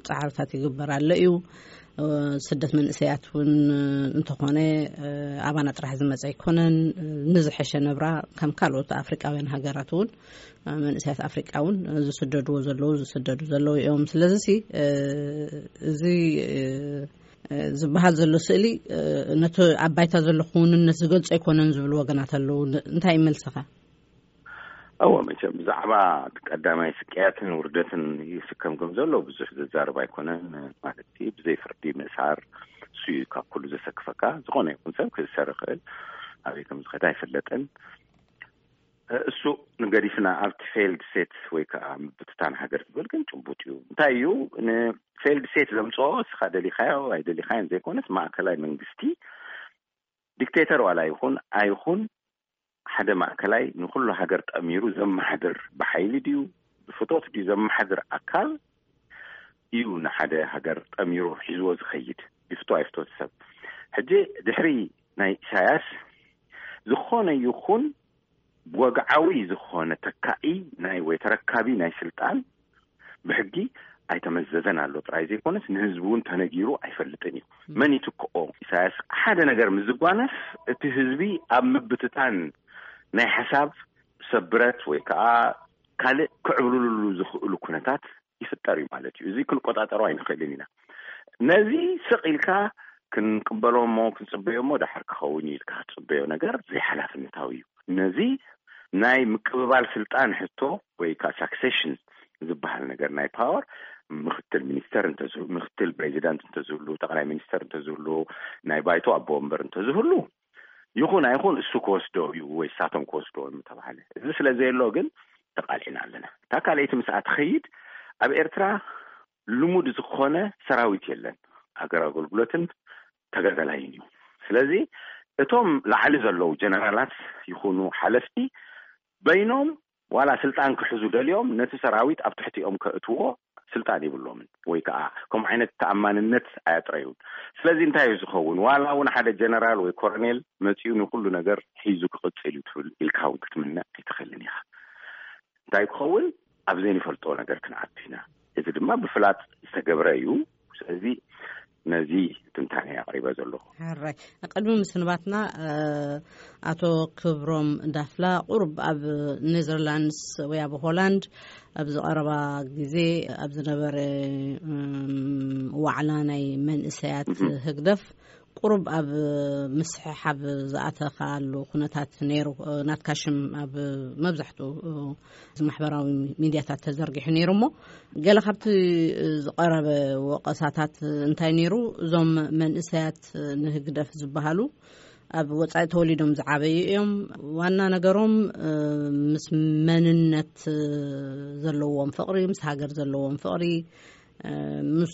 ጻዕርታት ይግበር ኣሎ እዩ። ስደት መንእሰያት እውን እንተኾነ ኣባና ጥራሕ ዝመፀ ኣይኮነን። ንዝሐሸ ነብራ ከም ካልኦት ኣፍሪቃውያን ሃገራት እውን መንእሰያት ኣፍሪቃ እውን ዝስደድዎ ዘለዉ ዝስደዱ ዘለዉ እዮም። ስለዚ እዚ ዝበሃል ዘሎ ስእሊ ነቲ ኣብ ባይታ ዘሎ ክውንነት ዝገልጾ ኣይኮነን ዝብሉ ወገናት ኣለዉ። እንታይ ይመልሰኻ? እወ፣ መቸም ብዛዕባ ቀዳማይ ስቅያትን ውርደትን ይስከም ከም ዘሎ ብዙሕ ዘዛርብ ኣይኮነን። ማለት ብዘይ ፍርዲ ምእሳር እሱ እዩ ካብ ኩሉ ዘሰክፈካ። ዝኾነ ይኹን ሰብ ክእሰር ይኽእል፣ ኣበይ ከም ዝኸዳ ኣይፍለጥን። እሱ ንገዲፍና ኣብቲ ፌልድ ሴት ወይ ከዓ ምብትታን ሃገር ዝብል ግን ጭቡጥ እዩ። እንታይ እዩ ንፌልድ ሴት ዘምፅኦ? እስኻ ደሊኻዮ ኣይደሊኻዮን ዘይኮነስ ማእከላይ መንግስቲ ዲክቴተር ዋላ ይኹን ኣይኹን ሓደ ማእከላይ ንኹሉ ሃገር ጠሚሩ ዘመሓድር ብሓይሊ ድዩ ብፍቶት ድዩ ዘመሓድር ኣካል እዩ ንሓደ ሃገር ጠሚሩ ሒዝዎ ዝኸይድ። ይፍቶ ኣይፍቶ ሰብ ሕጂ ድሕሪ ናይ ኢሳያስ ዝኾነ ይኹን ወግዓዊ ዝኾነ ተካኢ ናይ ወይ ተረካቢ ናይ ስልጣን ብሕጊ ኣይተመዘዘን ኣሎ ጥራይ ዘይኮነስ ንህዝቢ እውን ተነጊሩ ኣይፈልጥን እዩ። መን ይትክኦ? ኢሳያስ ሓደ ነገር ምስ ዝጓነፍ እቲ ህዝቢ ኣብ ምብትታን ናይ ሓሳብ ሰብ ብረት ወይ ከዓ ካልእ ክዕብልልሉ ዝኽእሉ ኩነታት ይፍጠር እዩ ማለት እዩ። እዚ ክንቆጣጠሮ ኣይንኽእልን ኢና። ነዚ ስቕ ኢልካ ክንቅበሎ እሞ ክንጽበዮ እሞ ደሓር ክኸውን እዩ ኢልካ ክትጽበዮ ነገር ዘይሓላፍነታዊ እዩ። ነዚ ናይ ምቅብባል ስልጣን ሕቶ ወይ ከዓ ሳክሴሽን ዝበሃል ነገር ናይ ፓወር ምክትል ሚኒስተር እንተዝህሉ፣ ምክትል ፕሬዚዳንት እንተዝህሉ፣ ጠቅላይ ሚኒስተር እንተዝህሉ፣ ናይ ባይቶ ኣቦ ወንበር እንተዝህሉ ይኹን ኣይኹን እሱ ክወስዶ እዩ ወይ ሳቶም ክወስዶ ምተባሃለ። እዚ ስለ ዘየሎ ግን ተቃልዕና ኣለና። እታ ካልኣይቲ ምስኣ ትኸይድ ኣብ ኤርትራ ልሙድ ዝኾነ ሰራዊት የለን። ሃገር ኣገልግሎትን ተጋዳላይን እዩ። ስለዚ እቶም ላዕሊ ዘለዉ ጀነራላት ይኹኑ ሓለፍቲ በይኖም ዋላ ስልጣን ክሕዙ ደልዮም ነቲ ሰራዊት ኣብ ትሕቲኦም ከእትዎ ስልጣን ይብሎምን ወይ ከዓ ከምኡ ዓይነት ተኣማንነት ኣያጥረዩን። ስለዚ እንታይ እዩ ዝኸውን? ዋላ እውን ሓደ ጀነራል ወይ ኮረኔል መፂኡ ንኩሉ ነገር ሒዙ ክቕፅል እዩ ትብል ኢልካ እውን ክትምነ ኣይትኽእልን ኢኻ። እንታይ ክኸውን ኣብ ዘይንፈልጦ ነገር ክንኣቱ ኢና። እዚ ድማ ብፍላጥ ዝተገብረ እዩ። ስለዚ ነዚ ትንታነ ኣቕሪበ ዘለኹ። ሕራይ። ቅድሚ ምስንባትና ኣቶ ክብሮም ዳፍላ ቁሩብ ኣብ ኔዘርላንድስ ወይ ኣብ ሆላንድ ኣብ ዝቐረባ ግዜ ኣብ ዝነበረ ዋዕላ ናይ መንእሰያት ህግደፍ ቁሩብ ኣብ ምስሕሓብ ዝኣተኻሉ ኩነታት ነይሩ። ናትካ ሽም ኣብ መብዛሕትኡ ማሕበራዊ ሚድያታት ተዘርጊሑ ነይሩ። እሞ ገለ ካብቲ ዝቐረበ ወቐሳታት እንታይ ነይሩ? እዞም መንእሰያት ንህግደፍ ዝበሃሉ ኣብ ወፃኢ ተወሊዶም ዝዓበዩ እዮም። ዋና ነገሮም ምስ መንነት ዘለዎም ፍቕሪ፣ ምስ ሃገር ዘለዎም ፍቕሪ፣ ምስ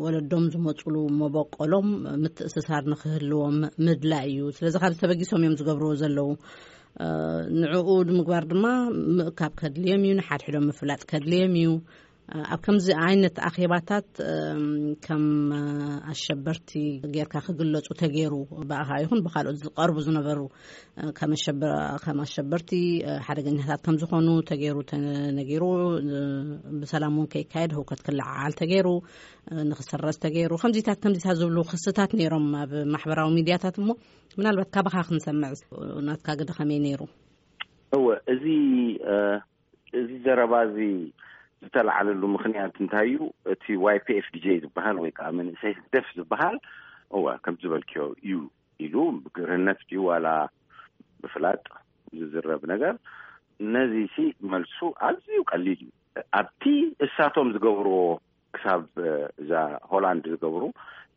ወለዶም ዝመፁሉ መበቆሎም ምትእስሳር ንክህልዎም ምድላይ እዩ። ስለዚ ካብዚ ተበጊሶም እዮም ዝገብርዎ ዘለዉ። ንዕኡ ንምግባር ድማ ምእካብ ከድልዮም እዩ፣ ንሓድሕዶም ምፍላጥ ከድልዮም እዩ። ኣብ ከምዚ ዓይነት ኣኼባታት ከም ኣሸበርቲ ጌርካ ክግለፁ ተገይሩ፣ ብኣኻ ይኹን ብካልኦት ዝቀርቡ ዝነበሩ ከም ኣሸበርቲ ሓደገኛታት ከም ዝኾኑ ተገይሩ ተነጊሩ፣ ብሰላም እውን ከይካየድ ህውከት ክለዓዓል ተገይሩ፣ ንክስረዝ ተገይሩ፣ ከምዚታት ከምዚታት ዝብሉ ክስታት ነይሮም ኣብ ማሕበራዊ ሚድያታት። እሞ ምናልባት ካባኻ ክንሰምዕ ናትካ ግደ ከመይ ነይሩ? እወ፣ እዚ እዚ ዘረባ እዚ ዝተላዓለሉ ምክንያት እንታይ እዩ? እቲ ዋይ ፒ ኤፍ ዲ ጄ ዝበሃል ወይ ከዓ መንእሰይ ህግደፍ ዝበሃል፣ እወ፣ ከም ዝበልክዮ እዩ። ኢሉ ብግርህነት ድዩ ዋላ ብፍላጥ ዝዝረብ ነገር፣ ነዚ ሲ መልሱ ኣዝዩ ቀሊል እዩ። ኣብቲ እሳቶም ዝገብርዎ ክሳብ እዛ ሆላንድ ዝገብሩ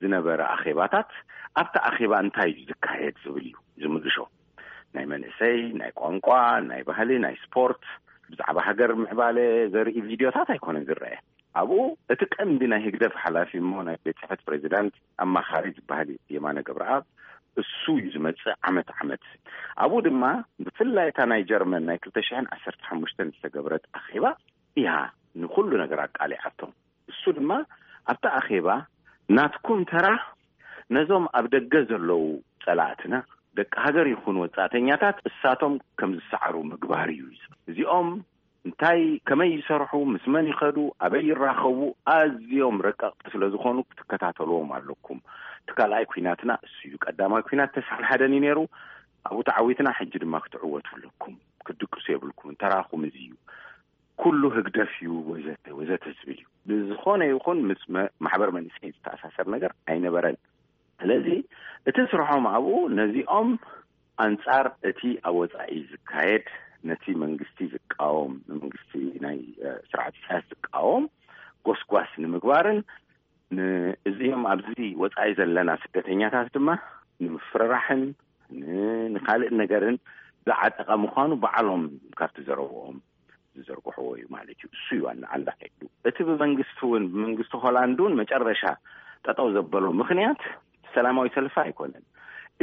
ዝነበረ ኣኼባታት፣ ኣብቲ ኣኼባ እንታይ እዩ ዝካየድ ዝብል እዩ ዝምልሾ። ናይ መንእሰይ፣ ናይ ቋንቋ፣ ናይ ባህሊ፣ ናይ ስፖርት፣ ብዛዕባ ሃገር ምዕባለ ዘርኢ ቪድዮታት ኣይኮነን ዝረአ። ኣብኡ እቲ ቀንዲ ናይ ህግደፍ ሓላፊ እሞ ናይ ቤት ጽሕፈት ፕሬዚዳንት ኣማኻሪ ዝበሃል የማነ ገብረኣብ፣ እሱ እዩ ዝመጽእ ዓመት ዓመት። ኣብኡ ድማ ብፍላይ እታ ናይ ጀርመን ናይ ክልተ ሽሕን ዓሰርተ ሓሙሽተን ዝተገብረት ኣኼባ እያ ንኹሉ ነገር ኣቃሊዓቶም። እሱ ድማ ኣብቲ ኣኼባ ናትኩም ተራ ነዞም ኣብ ደገ ዘለዉ ጸላእትና ደቂ ሃገር ይኹኑ ወጻእተኛታት እሳቶም ከም ዝሰዓሩ ምግባር እዩ። እዚኦም እንታይ ከመይ ይሰርሑ፣ ምስ መን ይኸዱ፣ ኣበይ ይራኸቡ ኣዝዮም ረቀቕቲ ስለ ዝኾኑ ክትከታተልዎም ኣለኩም። እቲ ካልኣይ ኩናትና እሱ እዩ። ቀዳማይ ኩናት ተስዓን ሓደን እዩ ነይሩ። ኣብኡ ተዓዊትና፣ ሕጂ ድማ ክትዕወቱ ኣለኩም። ክትድቅሱ የብልኩም። ተራኹም እዚ እዩ። ኩሉ ህግደፍ እዩ ወዘተ ወዘተ ዝብል እዩ። ብዝኾነ ይኹን ምስ መ- ማሕበር መንእሰይ ዝተኣሳሰር ነገር ኣይነበረን። ስለዚ እቲ ስርሖም ኣብኡ ነዚኦም ኣንጻር እቲ ኣብ ወጻኢ ዝካየድ፣ ነቲ መንግስቲ ዝቃወም፣ ንመንግስቲ ናይ ስርዓት ኢሳያስ ዝቃወም ጎስጓስ ንምግባርን ንእዚኦም ኣብዚ ወጻኢ ዘለና ስደተኛታት ድማ ንምፍርራሕን ንኻልእ ነገርን ዝዓጠቐ ምዃኑ ባዕሎም ካብቲ ዘረብኦም ዝዘርግሕዎ እዩ ማለት እዩ። እሱ እዩ ዋና ዓንዳ ከይዱ። እቲ ብመንግስቲ እውን ብመንግስቲ ሆላንድ እውን መጨረሻ ጠጠው ዘበሎ ምኽንያት ሰላማዊ ሰልፊ ኣይኮነን።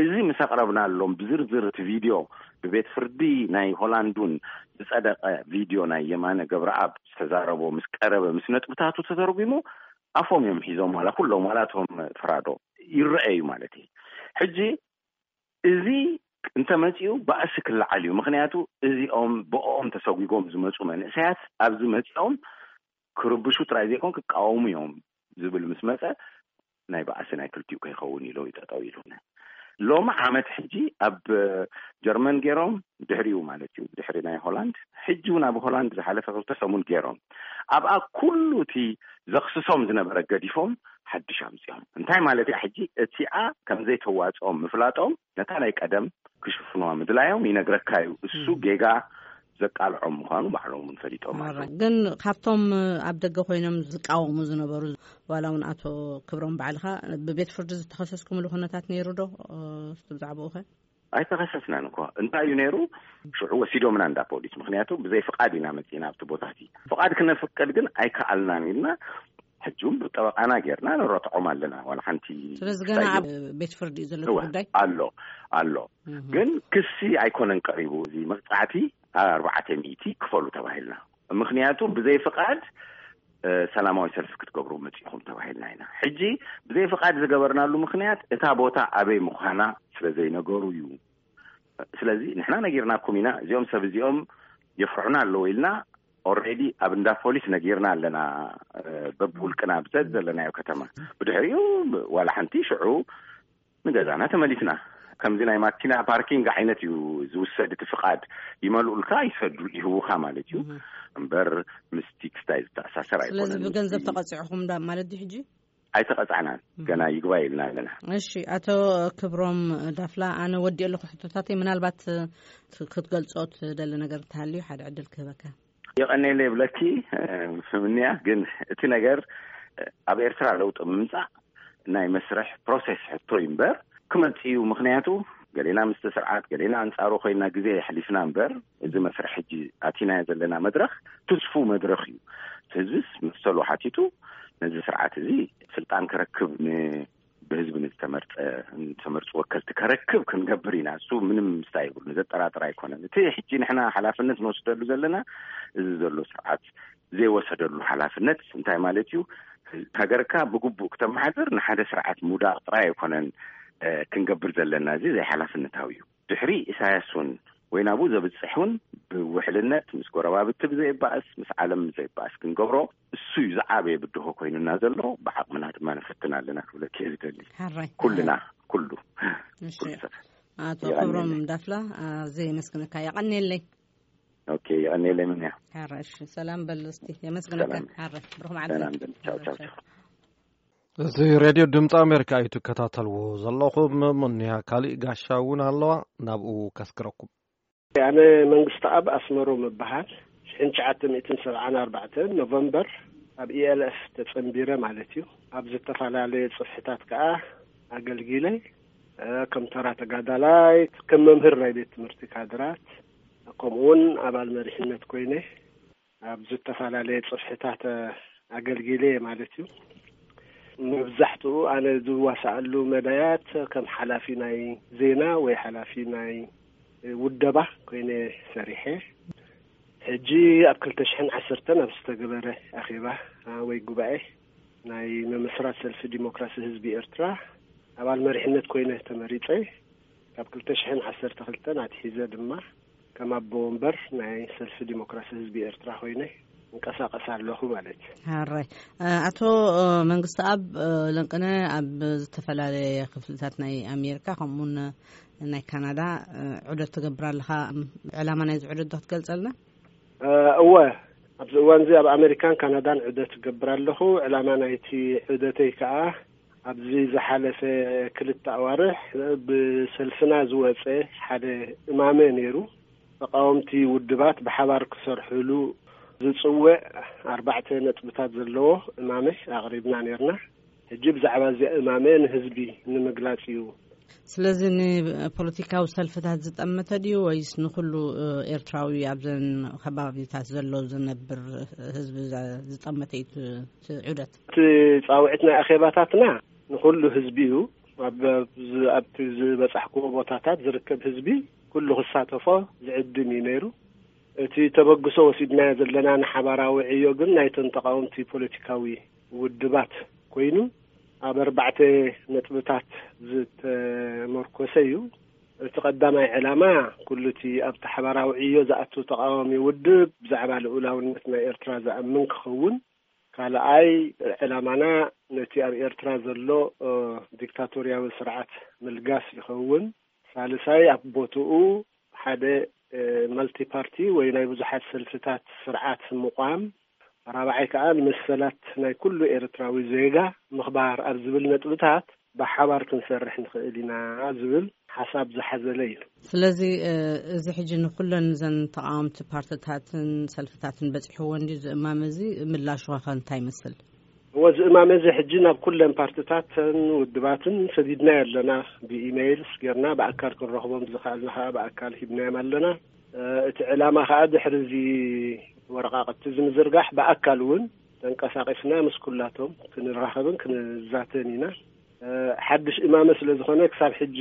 እዚ ምስ ኣቕረብናሎም ብዝርዝር እቲ ቪድዮ ብቤት ፍርዲ ናይ ሆላንዱን ዝጸደቐ ቪድዮ ናይ የማነ ገብረኣብ ዝተዛረቦ ምስ ቀረበ ምስ ነጥብታቱ ተተርጉሙ ኣፎም እዮም ሒዞም ዋላ ኩሎም ዋላ እቶም ፍራዶ ይረኣዩ ማለት እዩ። ሕጂ እዚ እንተመጺኡ ባእሲ ክለዓል እዩ። ምኽንያቱ እዚኦም ብኦም ተሰጒጎም ዝመጹ መንእሰያት ኣብዚ መጺኦም ክርብሹ ጥራይ ዘይኮን ክቃወሙ እዮም ዝብል ምስ መጸ ናይ ባእሲ ናይ ክልቲኡ ከይኸውን ኢሎ ይጠጠው ኢሉ። ሎሚ ዓመት ሕጂ ኣብ ጀርመን ገይሮም ድሕሪኡ ማለት እዩ ድሕሪ ናይ ሆላንድ ሕጂ እውን ኣብ ሆላንድ ዝሓለፈ ክልተ ሰሙን ገይሮም ኣብኣ ኩሉ እቲ ዘኽስሶም ዝነበረ ገዲፎም ሓድሽ ኣምፅኦም እንታይ ማለት እያ ሕጂ እቲኣ ከምዘይተዋፅኦም ምፍላጦም ነታ ናይ ቀደም ክሽፍኑዋ ምድላዮም ይነግረካ እዩ። እሱ ጌጋ ዘቃልዖም ምዃኑ ባዕሎም እውን ፈሊጦም ኣለዉ። ግን ካብቶም ኣብ ደገ ኮይኖም ዝቃወሙ ዝነበሩ ዋላ እውን ኣቶ ክብሮም ባዕልኻ ብቤት ፍርዲ ዝተኸሰስኩምሉ ኩነታት ነይሩ ዶ? ብዛዕባኡ ኸ? ኣይተኸሰስናን እኮ እንታይ እዩ ነይሩ? ሽዑ ወሲዶምና እንዳ ፖሊስ ምክንያቱ ብዘይ ፍቃድ ኢና መፂና ኣብቲ ቦታ እዚ ፍቃድ ክነፍቅድ ግን ኣይከኣልናን ኢልና ሕጂ እውን ብጠበቃና ጌርና ንረትዖም ኣለና ዋላ ሓንቲ ስለዚ ገና ኣብ ቤት ፍርዲ እዩ ዘሎ ጉዳይ ኣሎ ኣሎ ግን ክሲ ኣይኮነን ቀሪቡ እዚ መቅፃዕቲ ኣርባዕተ ሚእቲ ክፈሉ ተባሂልና ምክንያቱ ብዘይ ፍቃድ ሰላማዊ ሰልፊ ክትገብሩ መፂኹም ተባሂልና ኢና ሕጂ ብዘይ ፍቃድ ዝገበርናሉ ምክንያት እታ ቦታ ኣበይ ምዃና ስለ ዘይነገሩ እዩ ስለዚ ንሕና ነጊርናኩም ኢና እዚኦም ሰብ እዚኦም የፍርሑና ኣለዉ ኢልና already ኣብ እንዳ ፖሊስ ነጊርና ኣለና በብውልቅና ብዘት ዘለናዮ ከተማ ብድሕሪኡ ዋላ ሓንቲ ሽዑ ንገዛና ተመሊስና ከምዚ ናይ ማኪና ፓርኪንግ ዓይነት እዩ ዝውሰድ እቲ ፍቃድ ይመልኡልካ ይሰዱ ይህውካ ማለት እዩ እምበር ምስ ቲክስታይ ዝተኣሳሰር ኣይኮነን ስለዚ ብገንዘብ ተቐፂዕኹም ዳ ማለት ድዩ ሕጂ ኣይተቐፃዕናን ገና ይግባይ ኢልና ኣለና። እሺ ኣቶ ክብሮም ዳፍላ ኣነ ወዲኦ ኣለኹ ሕቶታተይ ምናልባት ክትገልፆ ትደሊ ነገር እንተሃልዩ ሓደ ዕድል ክህበካ። የቐኔለ ይብለኪ ምንያ ግን እቲ ነገር ኣብ ኤርትራ ለውጢ ምምፃእ ናይ መስርሕ ፕሮሴስ ሕቶ እዩ እምበር ክመፅእ እዩ ምክንያቱ ገሌና ምስቲ ስርዓት ገሌና ኣንፃሩ ኮይና ግዜ የሕሊፍና እምበር እዚ መስርሕ ሕጂ ኣቲናዮ ዘለና መድረክ ትስፉ መድረክ እዩ ህዝብስ መሰሉ ሓቲቱ ነዚ ስርዓት እዚ ስልጣን ክረክብ ብህዝቢ ንዝተመርፀ ዝተመርፁ ወከልቲ ከረክብ ክንገብር ኢና እሱ ምንም ምስታ ይብሉ ዘጠራጥር ኣይኮነን እቲ ሕጂ ንሕና ሓላፍነት ንወስደሉ ዘለና እዚ ዘሎ ስርዓት ዘይወሰደሉ ሓላፍነት እንታይ ማለት እዩ ሃገርካ ብግቡእ ክተመሓድር ንሓደ ስርዓት ምውዳቅ ጥራይ ኣይኮነን ክንገብር ዘለና እዚ ዘይሓላፍነታዊ እዩ ድሕሪ ኢሳያስ እውን ወይ ናብኡ ዘብፅሕ እውን ብውሕልነት ምስ ጎረባብቲ ብዘይባእስ ምስ ዓለም ብዘይባእስ ክንገብሮ እሱ እዩ ዝዓበየ ብድሆ ኮይኑና ዘሎ ብዓቕምና ድማ ንፈትን ኣለና ክብለኪ እየ ዝደሊ ኩልና ኩሉ ኣቶ ክብሮም ዳፍላ ኣዝየ የመስግነካ የቐንየለይ ኦኬ የቐንየለይ ምንያ ሓረ እሺ ሰላም በል እስቲ የመስግነካ ሓረ ብሩኽ መዓልቲ ቻው ቻው እዚ ሬድዮ ድምፂ ኣሜሪካ እዩ ትከታተልዎ ዘለኹም። ሙንያ ካሊእ ጋሻ እውን ኣለዋ፣ ናብኡ ከስክረኩም። ኣነ መንግስቲ ኣብ ኣስመሮም እበሃል። ሽሕን ትሽዓተ ሚእትን ሰብዓን ኣርባዕተን ኖቨምበር ኣብ ኢኤልኤፍ ተጸንቢረ ማለት እዩ። ኣብ ዝተፈላለየ ጽፍሕታት ከኣ ኣገልጊለ። እ፣ ከም ተራ ተጋዳላይ፣ ከም መምህር ናይ ቤት ትምህርቲ ካድራት፣ ከምኡውን ኣባል መሪሕነት ኮይነ ኣብ ዝተፈላለየ ጽፍሕታት ኣገልጊለ ማለት እዩ። መብዛሕትኡ ኣነ ዝዋሳኣሉ መዳያት ከም ሓላፊ ናይ ዜና ወይ ሓላፊ ናይ ውደባ ኮይነ ሰሪሐ። ሕጂ ኣብ ክልተ ሽሕን ዓሰርተን ኣብ ዝተገበረ ኣኼባ፣ ኣ፣ ወይ ጉባኤ ናይ ምምስራት ሰልፊ ዲሞክራሲ ህዝቢ ኤርትራ ኣባል መሪሕነት ኮይነ ተመሪጸ። ካብ ክልተ ሽሕን ዓሰርተ ክልተን ኣትሒዘ ድማ ከም ኣቦ ወንበር ናይ ሰልፊ ዲሞክራሲ ህዝቢ ኤርትራ ኮይነ እንቀሳቐስ ኣለኹ ማለት እዩ። ሕራይ። እ፣ ኣቶ፣ እ፣ መንግስቲ ኣብ፣ እ፣ ለንቅነ ኣብ ዝተፈላለየ ክፍልታት ናይ ኣሜሪካ ከምኡውን ናይ ካናዳ፣ እ፣ ዑደት ትገብር ኣለኻ። እም፣ ዕላማ ናይዚ ዑደት ዶ ክትገልጸልና? እ፣ እወ፣ ኣብዚ እዋን እዚ ኣብ ኣሜሪካን ካናዳን ዑደት እገብር ኣለኹ። ዕላማ ናይቲ ዑደተይ ከኣ ኣብዚ ዝሓለፈ ክልተ ኣዋርሕ ብሰልፍና ዝወጸ ሓደ እማመ ነይሩ። ተቃወምቲ ውድባት ብሓባር ክሰርሕሉ ዝጽውዕ ኣርባዕተ ነጥብታት ዘለዎ እማመ ኣቕሪብና ነይርና። ሕጂ ብዛዕባ እዚ እማመ ንህዝቢ ንምግላጽ እዩ። ስለዚ ንፖለቲካዊ ሰልፍታት ዝጠመተ ድዩ ወይስ ንኹሉ፣ እ፣ ኤርትራዊ ኣብዘን ከባቢታት ዘሎ ዝነብር ህዝቢ ዛ-፣ ዝጠመተ እዩ እቲ፣ እቲ ዑደት? እቲ ጻውዒት ናይ ኣኼባታትና ንኹሉ ህዝቢ እዩ። ኣብ፣ ኣብ ዝ-፣ ኣብቲ ዝበጻሕክዎ ቦታታት ዝርከብ ህዝቢ ኩሉ ክሳተፎ ዝዕድም እዩ ነይሩ። እቲ ተበግሶ ወሲድናዮ ዘለና ንሓባራዊ ዕዮ ግን ናይተን ተቃወምቲ ፖለቲካዊ ውድባት ኮይኑ ኣብ ኣርባዕተ ነጥብታት ዝተመርኮሰ እዩ። እቲ ቀዳማይ ዕላማ ኩሉ እቲ ኣብቲ ሓባራዊ ዕዮ ዝኣቱ ተቃዋሚ ውድብ ብዛዕባ ልኡላውነት ናይ ኤርትራ ዝኣምን ክኸውን፣ ካልኣይ ዕላማና ነቲ ኣብ ኤርትራ ዘሎ፣ እ፣ ዲክታቶርያዊ ስርዓት ምልጋስ ይኸውን። ሳልሳይ ኣብ ቦትኡ ሓደ፣ እ፣ መልቲ ፓርቲ ወይ ናይ ብዙሓት ሰልፍታት ስርዓት ምቋም። ራብዓይ ከኣ ንመሰላት ናይ ኩሉ ኤርትራዊ ዜጋ ምኽባር ኣብ ዝብል ነጥብታት ብሓባር ክንሰርሕ ንኽእል ኢና ዝብል ሓሳብ ዝሓዘለ እዩ። ስለዚ፣ እ፣ እዚ ሕጂ ንኩለን እዘን ተቃወምቲ ፓርትታትን ሰልፍታትን በጺሕዎ እንድዩ ዝእማም፣ እዚ ምላሹ ከ እንታይ ይመስል? እወ፣ እዚ እማመ እዚ ሕጂ ናብ ኩለን ፓርትታትን ውድባትን ሰዲድናዮ ኣለና። ብኢሜይልስ ጌርና ብኣካል ክንረኽቦም ዝኸኣልና ከኣ ብኣካል ሂብናዮም ኣለና። እ፣ እቲ ዕላማ ከኣ ድሕሪ እዚ ወረቃቅቲ እዚ ምዝርጋሕ ብኣካል እውን ተንቀሳቂስና ምስ ኩላቶም ክንራኸብን ክንዛተን ኢና። እ፣ ሓድሽ እማመ ስለ ዝኾነ ክሳብ ሕጂ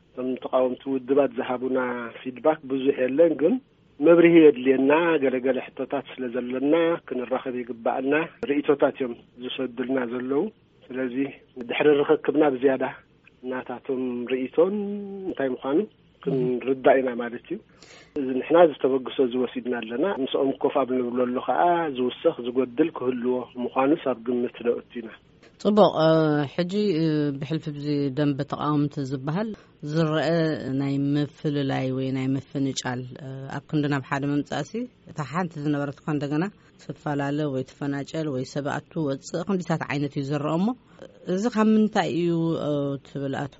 እቶም ተቃወምቲ ውድባት ዝሃቡና ፊድባክ ብዙሕ የለን፣ ግን መብርሂ የድልየና። ገለገለ ሕቶታት ስለ ዘለና ክንራኸብ ይግባኣና። ርእይቶታት እዮም ዝሰዱልና ዘለዉ። ስለዚ ድሕሪ ርኽክብና ብዝያዳ ናታቶም ርእይቶን እንታይ ምዃኑ ክንርዳእ ኢና ማለት እዩ። እዚ ንሕና ዝተበግሶ ዝወሲድና ኣለና። ምስኦም ኮፍ ኣብ ንብለሉ ከኣ ዝውሰኽ ዝጎድል ክህልዎ ምዃኑስ ኣብ ግምት ነእቱ ኢና። ጽቡቕ፣ እ፣ ሕጂ፣ እ፣ ብሕልፊ ብዚ ደንበ ተቃወምቲ ዝበሃል ዝረአ ናይ ምፍልላይ ወይ ናይ ምፍንጫል፣ እ፣ ኣብ ክንዲ ናብ ሓደ ምምጻእሲ፣ እታ ሓንቲ ዝነበረት እኳ እንደገና ትፈላለ ወይ ትፈናጨል ወይ ሰብ ኣቱ ወጽእ ክንዲታት ዓይነት እዩ ዝረአ እሞ፣ እዚ ካብ ምንታይ እዩ፣ እ፣ ትብል ኣቶ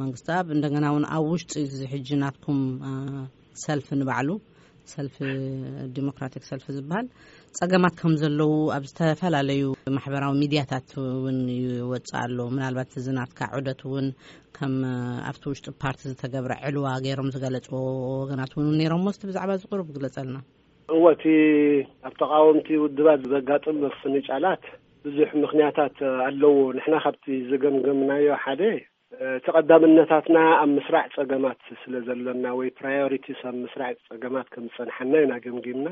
መንግስተኣብ? እንደገና እውን ኣብ ውሽጢ እዚ ሕጂ ናትኩም፣ እ፣ ሰልፊ ንባዕሉ ሰልፊ ዲሞክራቲክ ሰልፊ ዝበሃል ጸገማት ከም ዘለዉ ኣብ ዝተፈላለዩ ማሕበራዊ ሚድያታት እውን ይወጽእ ኣሎ። ምናልባት እዚ ናትካ ዑደት እውን ከም ኣብቲ ውሽጢ ፓርቲ ዝተገብረ ዕልዋ ገይሮም ዝገለጽዎ ወገናት እውን ነይሮም። እስቲ ብዛዕባ እዚ ቁሩብ ግለጸልና። እወ፣ እቲ ኣብ ተቃወምቲ ውድባት ዘጋጥም ምፍንጫላት ብዙሕ ምኽንያታት ኣለዎ። ንሕና ካብቲ ዝገምገምናዮ ሓደ፣ እቲ ቀዳምነታትና ኣብ ምስራዕ ጸገማት ስለ ዘሎና ወይ ፕራዮሪቲስ ኣብ ምስራዕ ጸገማት ከም ዝጸንሓና ኢና ገምጊምና።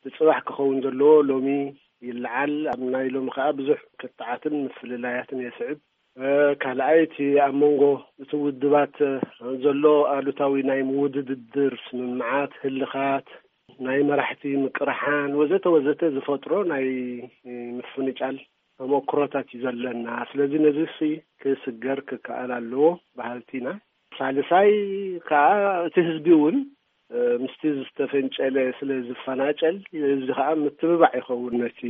እቲ ጽባሕ ክኸውን ዘለዎ ሎሚ ይለዓል። ኣብ ናይ ሎሚ ከኣ ብዙሕ ክትዓትን ምፍልላያትን የስዕብ። እ፣ ካልኣይ እቲ ኣብ መንጎ እቲ ውድባት ዘሎ ኣሉታዊ ናይ ምውድድር ስምምዓት፣ ህልኻት፣ ናይ መራሕቲ ምቅርሓን ወዘተ ወዘተ ዝፈጥሮ ናይ ምፍንጫል ተመክሮታት እዩ ዘለና። ስለዚ ነዚ ሲ ክስገር ክከኣል ኣለዎ በሃልቲ ኢና። ሳልሳይ ከዓ እቲ ህዝቢ እውን፣ እ፣ ምስቲ ዝተፈንጨለ ስለ ዝፈናጨል፣ ህዝቢ ከዓ ምትብባዕ ይኸውን ነቲ፣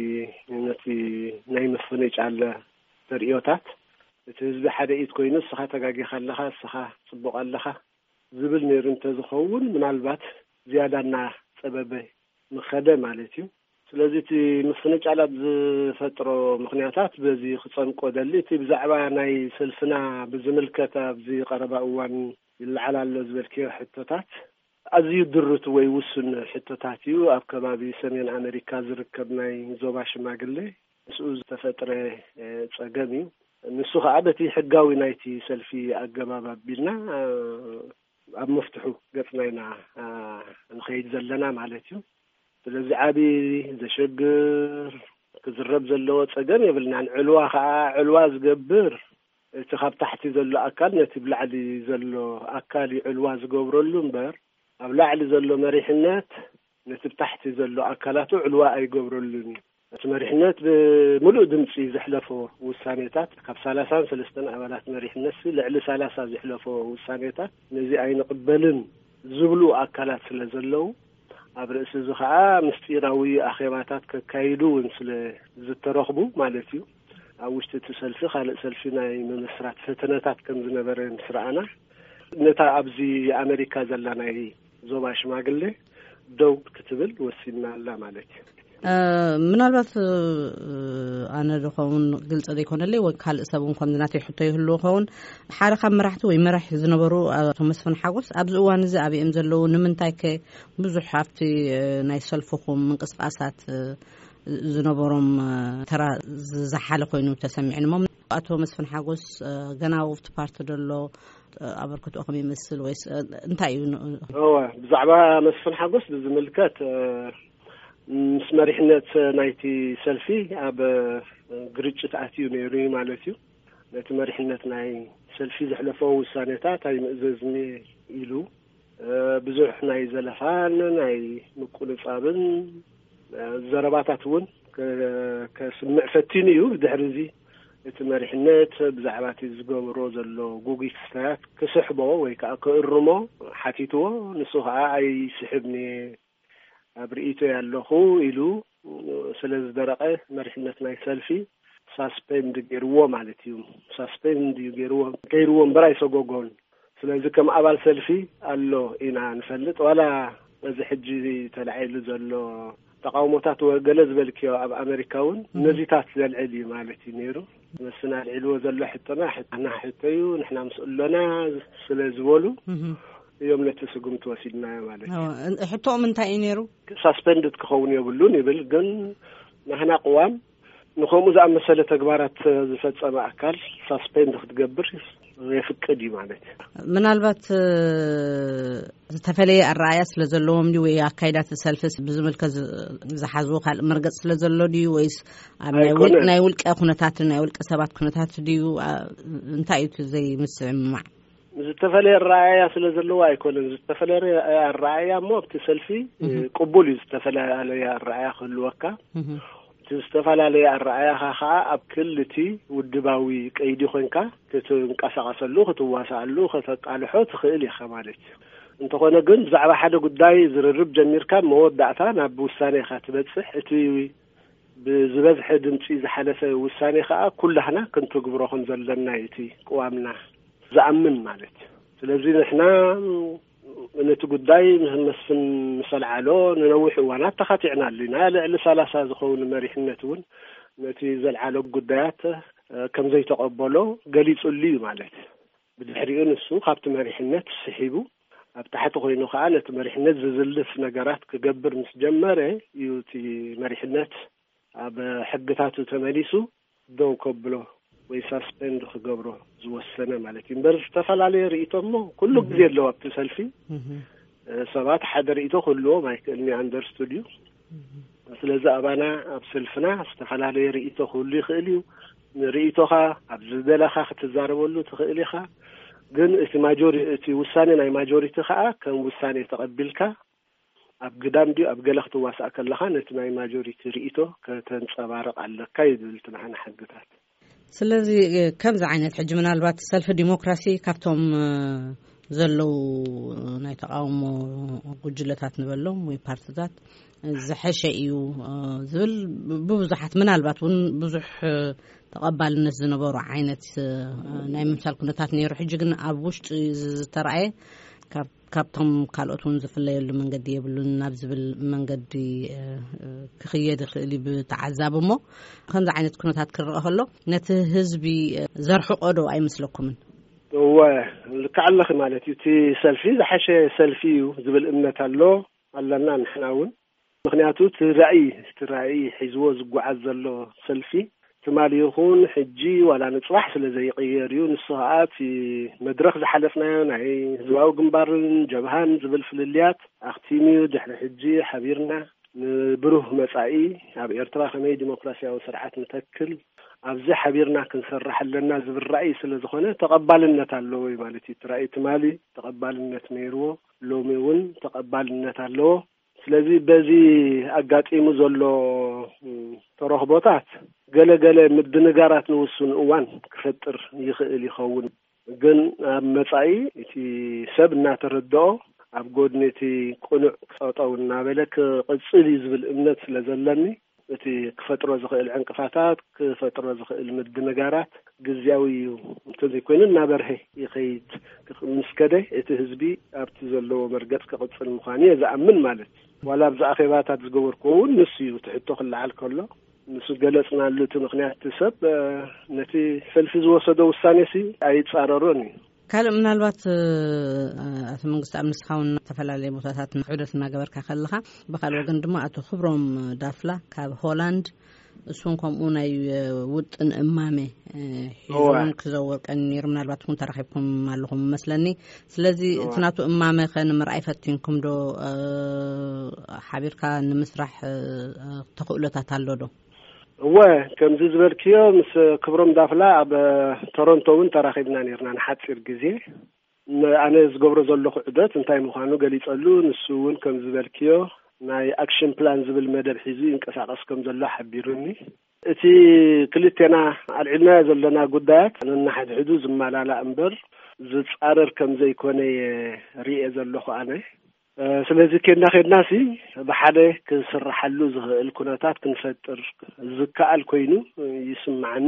ነቲ ናይ ምፍንጫል ተርእዮታት፣ እቲ ህዝቢ ሓደ ኢድ ኮይኑ፣ እስኻ ተጋጊኻ ኣለኻ፣ እስኻ ጽቡቕ ኣለኻ ዝብል ነይሩ እንተዝኸውን፣ ምናልባት ዝያዳ እናጸበበ ምኸደ ማለት እዩ። ስለዚ እቲ ምፍንጫላት ዝፈጥሮ ምኽንያታት በዚ ክጸምቆ ደሊ። እቲ ብዛዕባ ናይ ሰልፍና ብዝምልከት ኣብዚ ቀረባ እዋን ይለዓል ኣሎ ዝበልክዮ ሕቶታት ኣዝዩ ድሩት ወይ ውሱን ሕቶታት እዩ። ኣብ ከባቢ ሰሜን ኣመሪካ ዝርከብ ናይ ዞባ ሽማግሌ ምስኡ ዝተፈጥረ፣ እ፣ ጸገም እዩ። ንሱ ኸኣ በቲ ሕጋዊ ናይቲ ሰልፊ ኣገባብ ኣቢልና፣ እ፣ ኣብ መፍትሑ ገጽና ኢና፣ እ፣ ንኸይድ ዘለና ማለት እዩ። ስለዚ ዓቢ ዘሸግር ክዝረብ ዘለዎ ጸገም የብልናን። ዕልዋ ኸኣ፣ ዕልዋ ዝገብር እቲ ካብ ታሕቲ ዘሎ ኣካል ነቲ ብላዕሊ ዘሎ ኣካል እዩ ዕልዋ ዝገብረሉ እምበር፣ ኣብ ላዕሊ ዘሎ መሪሕነት ነቲ ብታሕቲ ዘሎ ኣካላቱ ዕልዋ ኣይገብረሉን እዩ። እቲ መሪሕነት ብምሉእ ድምጺ ዘሕለፎ ውሳኔታት፣ ካብ ሰላሳን ሰለስተን ኣባላት መሪሕነት ሲ ልዕሊ ሰላሳ ዘሕለፎ ውሳኔታት ነዚ ኣይንቕበልን ዝብሉ ኣካላት ስለ ዘለዉ፣ ኣብ ርእሲ እዚ ኸኣ ምስጢራዊ ኣኼባታት ከካይዱ እውን ስለ ዝተረኽቡ ማለት እዩ። ኣብ ውሽጢ እቲ ሰልፊ ካልእ ሰልፊ ናይ ምምስራት ፈተነታት ከም ዝነበረ ምስ ረኣና፣ ነታ ኣብዚ ኣመሪካ ዘላ ናይ ዞባ ሽማግሌ ደው ክትብል ወሲንና ኣላ ማለት እዩ። እ፣ ምናልባት፣ እ፣ ኣነ ድኸውን ግልፂ ዘይኮነለይ ወይ ካልእ ሰብ እውን ከምዚ ናተይ ሕቶ ይህልዎ ኸውን፣ ሓደ ካብ መራሕቲ ወይ መራሒ ዝነበሩ ኣቶ መስፍን ሓጎስ ኣብዚ እዋን እዚ ኣበይ እዮም ዘለዉ? ንምንታይ ከ ብዙሕ ኣብቲ፣ እ፣ ናይ ሰልፍኹም ምንቅስቃሳት፣ እ፣ ዝነበሮም፣ እ፣ ተራ ዝዘሓለ ኮይኑ ተሰሚዕንሞ? ኣቶ መስፍን ሓጎስ፣ እ፣ ገና ኣብቲ ፓርቲ ደሎ፣ እ፣ ኣበርክትኦ ከም ይመስል ወይስ፣ እ፣ እንታይ እዩ ን-? እወ፣ ብዛዕባ መስፍን ሓጎስ ብዝምልከት፣ እ፣ ምስ መሪሕነት ናይቲ ሰልፊ ኣብ፣ እ፣ ግርጭት ኣትዩ ነይሩ እዩ ማለት እዩ። ነቲ መሪሕነት ናይ ሰልፊ ዘሕለፎ ውሳኔታት ኣይምእዘዝን ኢሉ፣ እ፣ ብዙሕ ናይ ዘለፋን ናይ ምቁንጻብን፣ እ፣ ዘረባታት እውን ከ-፣ ከስምዕ ፈቲኑ እዩ። ድሕሪ እዚ እቲ መሪሕነት ብዛዕባ እቲ ዝገብሮ ዘሎ ጉጉይ ክስታያት ክስሕቦ ወይ ከዓ ክእርሞ ሓቲትዎ። ንሱ ከዓ ኣይስሕብን እየ፣ ኣብ ርእይቶ ኣለኹ ኢሉ ስለ ዝደረቐ መሪሕነት ናይ ሰልፊ ሳስፔንድ ገይርዎ ማለት እዩ። ሳስፔንድ እዩ ገይርዎ፣ ገይርዎ እምበር ኣይሰጎጎን። ስለዚ ከም ኣባል ሰልፊ ኣሎ ኢና ንፈልጥ። ዋላ በዚ ሕጂ ተላዒሉ ዘሎ ተቃውሞታት ወ-፣ ገለ ዝበልክዮ ኣብ ኣመሪካ እውን እህ። ነዚታት ዘልዕል እዩ ማለት እዩ ነይሩ። መስፍን ኣልዒልዎ ዘሎ ሕቶና ሕትና ሕቶ እዩ፣ ንሕና ምስ ኣሎና ስለ ዝበሉ እህ። እዮም ነቲ ስጉምቲ ወሲድናዮ ማለት እዩ። ሕቶኦም እንታይ እዩ ነይሩ? ሳስፔንድድ ክኸውን የብሉን ይብል፣ ግን ናህና ቅዋም ንኸምኡ ዝኣመሰለ ተግባራት ዝፈጸመ ኣካል ሳስፔንድ ክትገብር የፍቅድ እዩ ማለት እዩ። ምናልባት፣ እ፣ ዝተፈለየ ኣረኣያ ስለ ዘለዎም ድዩ ወይ ኣካይዳት ሰልፊ ብዝምልከት ዝ-፣ ዝሓዝዎ ካልእ መርገጽ ስለ ዘሎ ድዩ ወይስ ኣብ ናይ ውል-፣ ኣይኮነን። ናይ ውልቀ ኩነታት፣ ናይ ውልቀ ሰባት ኩነታት ድዩ? ኣ-፣ እንታይ እዩ እቲ ዘይምስምማዕ? ዝተፈለየ ኣረኣያ ስለ ዘለዎ ኣይኮነን። ዝተፈለየ ኣረኣያ እሞ ኣብቲ ሰልፊ እህ። ቅቡል እዩ፣ ዝተፈላለየ ኣረኣያ ክህልወካ። እህ። እቲ ዝተፈላለየ ኣረኣያኻ ኸዓ ኣብ ክሊ እቲ ውድባዊ ቀይዲ ኮንካ ክትንቀሳቐሰሉ፣ ክትዋሳኣሉ፣ ከተቃልሖ ትኽእል ኢኻ ማለት እዩ። እንተኾነ ግን ብዛዕባ ሓደ ጉዳይ ዝርርብ ጀሚርካ መወዳእታ ናብ ውሳኔ ኢኻ ትበጽሕ። እቲ ብዝበዝሐ ድምፂ ዝሓለፈ ውሳኔ ኸዓ ኩላህና ክንትግብሮ ከም ዘለና እዩ እቲ ቅዋምና ዝኣምን ማለት እዩ። ስለዚ ንሕና ነቲ ጉዳይ መስፍን ምስ ኣልዓሎ ንነዊሕ እዋናት ተኻቲዕናሉ ኢና። ልዕሊ ሰላሳ ዝኸውን መሪሕነት እውን ነቲ ዘልዓሎ ጉዳያት፣ እ፣ ከም ዘይተቐበሎ ገሊጹሉ እዩ ማለት እዩ። ብድሕሪኡ ንሱ ካብቲ መሪሕነት ስሒቡ ኣብ ታሕቲ ኮይኑ ከኣ ነቲ መሪሕነት ዝዝልፍ ነገራት ክገብር ምስ ጀመረ እዩ እቲ መሪሕነት ኣብ ሕግታቱ ተመሊሱ ደው ከብሎ ወይ ሳስፔንድ ክገብሮ ዝወሰነ ማለት እዩ። እምበር ዝተፈላለየ ርእይቶ እሞ ኩሉ እህ። ግዜ ኣለዎ ኣብቲ ሰልፊ። እህ። እ፣ ሰባት ሓደ ርእይቶ ክህልዎም ኣይክእልን እዩ፣ ኣንደርስቱድ እዩ። እህ። ስለዚ ኣባና ኣብ ሰልፍና ዝተፈላለየ ርእይቶ ክህሉ ይኽእል እዩ። ንርእይቶኻ ኣብ ዝደለኻ ክትዛረበሉ ትኽእል ኢኻ። ግን እቲ ማጆሪ-፣ እቲ ውሳኔ ናይ ማጆሪቲ ኸኣ ከም ውሳኔ ተቐቢልካ ኣብ ግዳም ድዩ ኣብ ገለ ክትዋሳእ ከለኻ ነቲ ናይ ማጆሪቲ ርእይቶ ከተንጸባርቕ ኣለካ እዩ ዝብል እቲ ንዓና ሕግታት። ስለዚ፣ እ፣ ከምዚ ዓይነት ሕጂ ምናልባት ሰልፊ ዲሞክራሲ ካብቶም፣ እ፣ ዘለዉ ናይ ተቓውሞ ጉጅለታት ንበሎም ወይ ፓርትታት ዝሐሸ እዩ ዝብል ብብዙሓት፣ ምናልባት እውን ብዙሕ ተቐባልነት ዝነበሩ ዓይነት ናይ ምምሳል ኩነታት ነይሩ። ሕጂ ግን ኣብ ውሽጢ ዝተረኣየ ካብ ካብቶም ካልኦት እውን ዝፍለየሉ መንገዲ የብሉን ናብ ዝብል መንገዲ ክኽየድ ይኽእል እዩ ብተዓዛቢ። እሞ ከምዚ ዓይነት ኩነታት ክረአ ከሎ ነቲ ህዝቢ ዘርሕቆ ዶ ኣይመስለኩምን? እወ፣ ልክዕ ኣለኺ ማለት እዩ። እቲ ሰልፊ ዝሓሸ ሰልፊ እዩ ዝብል እምነት ኣሎ ኣለና ንሕና እውን። ምክንያቱ እቲ ራእይ እቲ ራእይ ሒዝዎ ዝጓዓዝ ዘሎ ሰልፊ ትማሊ ይኹን ሕጂ ዋላ ንፅባሕ ስለ ዘይቅየር እዩ። ንሱ ከዓ እቲ መድረክ ዝሓለፍናዮ ናይ ህዝባዊ ግንባርን ጀብሃን ዝብል ፍልልያት ኣክቲም እዩ። ድሕሪ ሕጂ ሓቢርና ንብሩህ መፃኢ ኣብ ኤርትራ ከመይ ዲሞክራሲያዊ ስርዓት ንተክል ኣብዚ ሓቢርና ክንሰርሕ ኣለና ዝብል ራእይ ስለ ዝኾነ ተቐባልነት ኣለዎ እዩ ማለት እዩ። እቲ ራእይ ትማሊ ተቐባልነት ነይርዎ፣ ሎሚ እውን ተቐባልነት ኣለዎ። ስለዚ በዚ ኣጋጢሙ ዘሎ ተረኽቦታት ገለ ገለ ምድንጋራት ንውሱን እዋን ክፈጥር ይኽእል ይኸውን። ግን ኣብ መጻኢ እቲ ሰብ እናተረድኦ ኣብ ጎድኒ እቲ ቅኑዕ ጠጠው እናበለ ክቕጽል እዩ ዝብል እምነት ስለ ዘለኒ እቲ ክፈጥሮ ዝኽእል ዕንቅፋታት ክፈጥሮ ዝኽእል ምድንጋራት ግዝያዊ እዩ። እንተዘይኮይኑ እናበርሀ ይኸይድ። ምስ ከደ እቲ ህዝቢ ኣብቲ ዘለዎ መርገጽ ክቕጽል ምዃኑ እየ ዝኣምን ማለት እዩ። ዋላ ኣብዚ ኣኼባታት ዝገበርኩዎ እውን ንሱ እዩ። እቲ ሕቶ ክለዓል ከሎ ምስ ገለጽናሉ እቲ ምኽንያት እቲ ሰብ ነቲ ሰልፊ ዝወሰዶ ውሳኔ ሲ ኣይጻረሮን እዩ። ካልእ ምናልባት ኣቶ መንግስቲ ኣብ ንስኻ እውን ዝተፈላለየ ቦታታት ዑደት እናገበርካ ከለኻ፣ ብካልእ ወገን ድማ ኣቶ ክብሮም ዳፍላ ካብ ሆላንድ እሱን ከምኡ ናይ ውጥን እማመ ሒዙ እውን ክዘውር ቀኒ ነይሩ። ምናልባት እውን ተራኺብኩም ኣለኹም መስለኒ። ስለዚ እቲ ናቱ እማመ ከ ንምርኣይ ፈቲንኩም ዶ? ሓቢርካ ንምስራሕ ተኽእሎታት ኣሎ ዶ? እወ፣ ከምዚ ዝበልክዮ ምስ ክብሮም ዳፍላ ኣብ ቶሮንቶ እውን ተራኺብና ነርና ንሓፂር ግዜ። ኣነ ዝገብሮ ዘለኹ ዑደት እንታይ ምዃኑ ገሊፀሉ። ንሱ እውን ከምዚ ዝበልክዮ ናይ ኣክሽን ፕላን ዝብል መደብ ሒዙ ይንቀሳቐስ ከም ዘሎ ሓቢሩኒ። እቲ ክልቴና ኣልዒልናዮ ዘለና ጉዳያት ነናሕድሕዱ ዝመላላእ እምበር ዝፃረር ከም ዘይኮነ እየ ርእየ ዘለኹ ኣነ። ስለዚ ኬድና ኬድና ሲ ብሓደ ክስርሓሉ ዝኽእል ኩነታት ክንፈጥር ዝከኣል ኮይኑ ይስምዓኒ።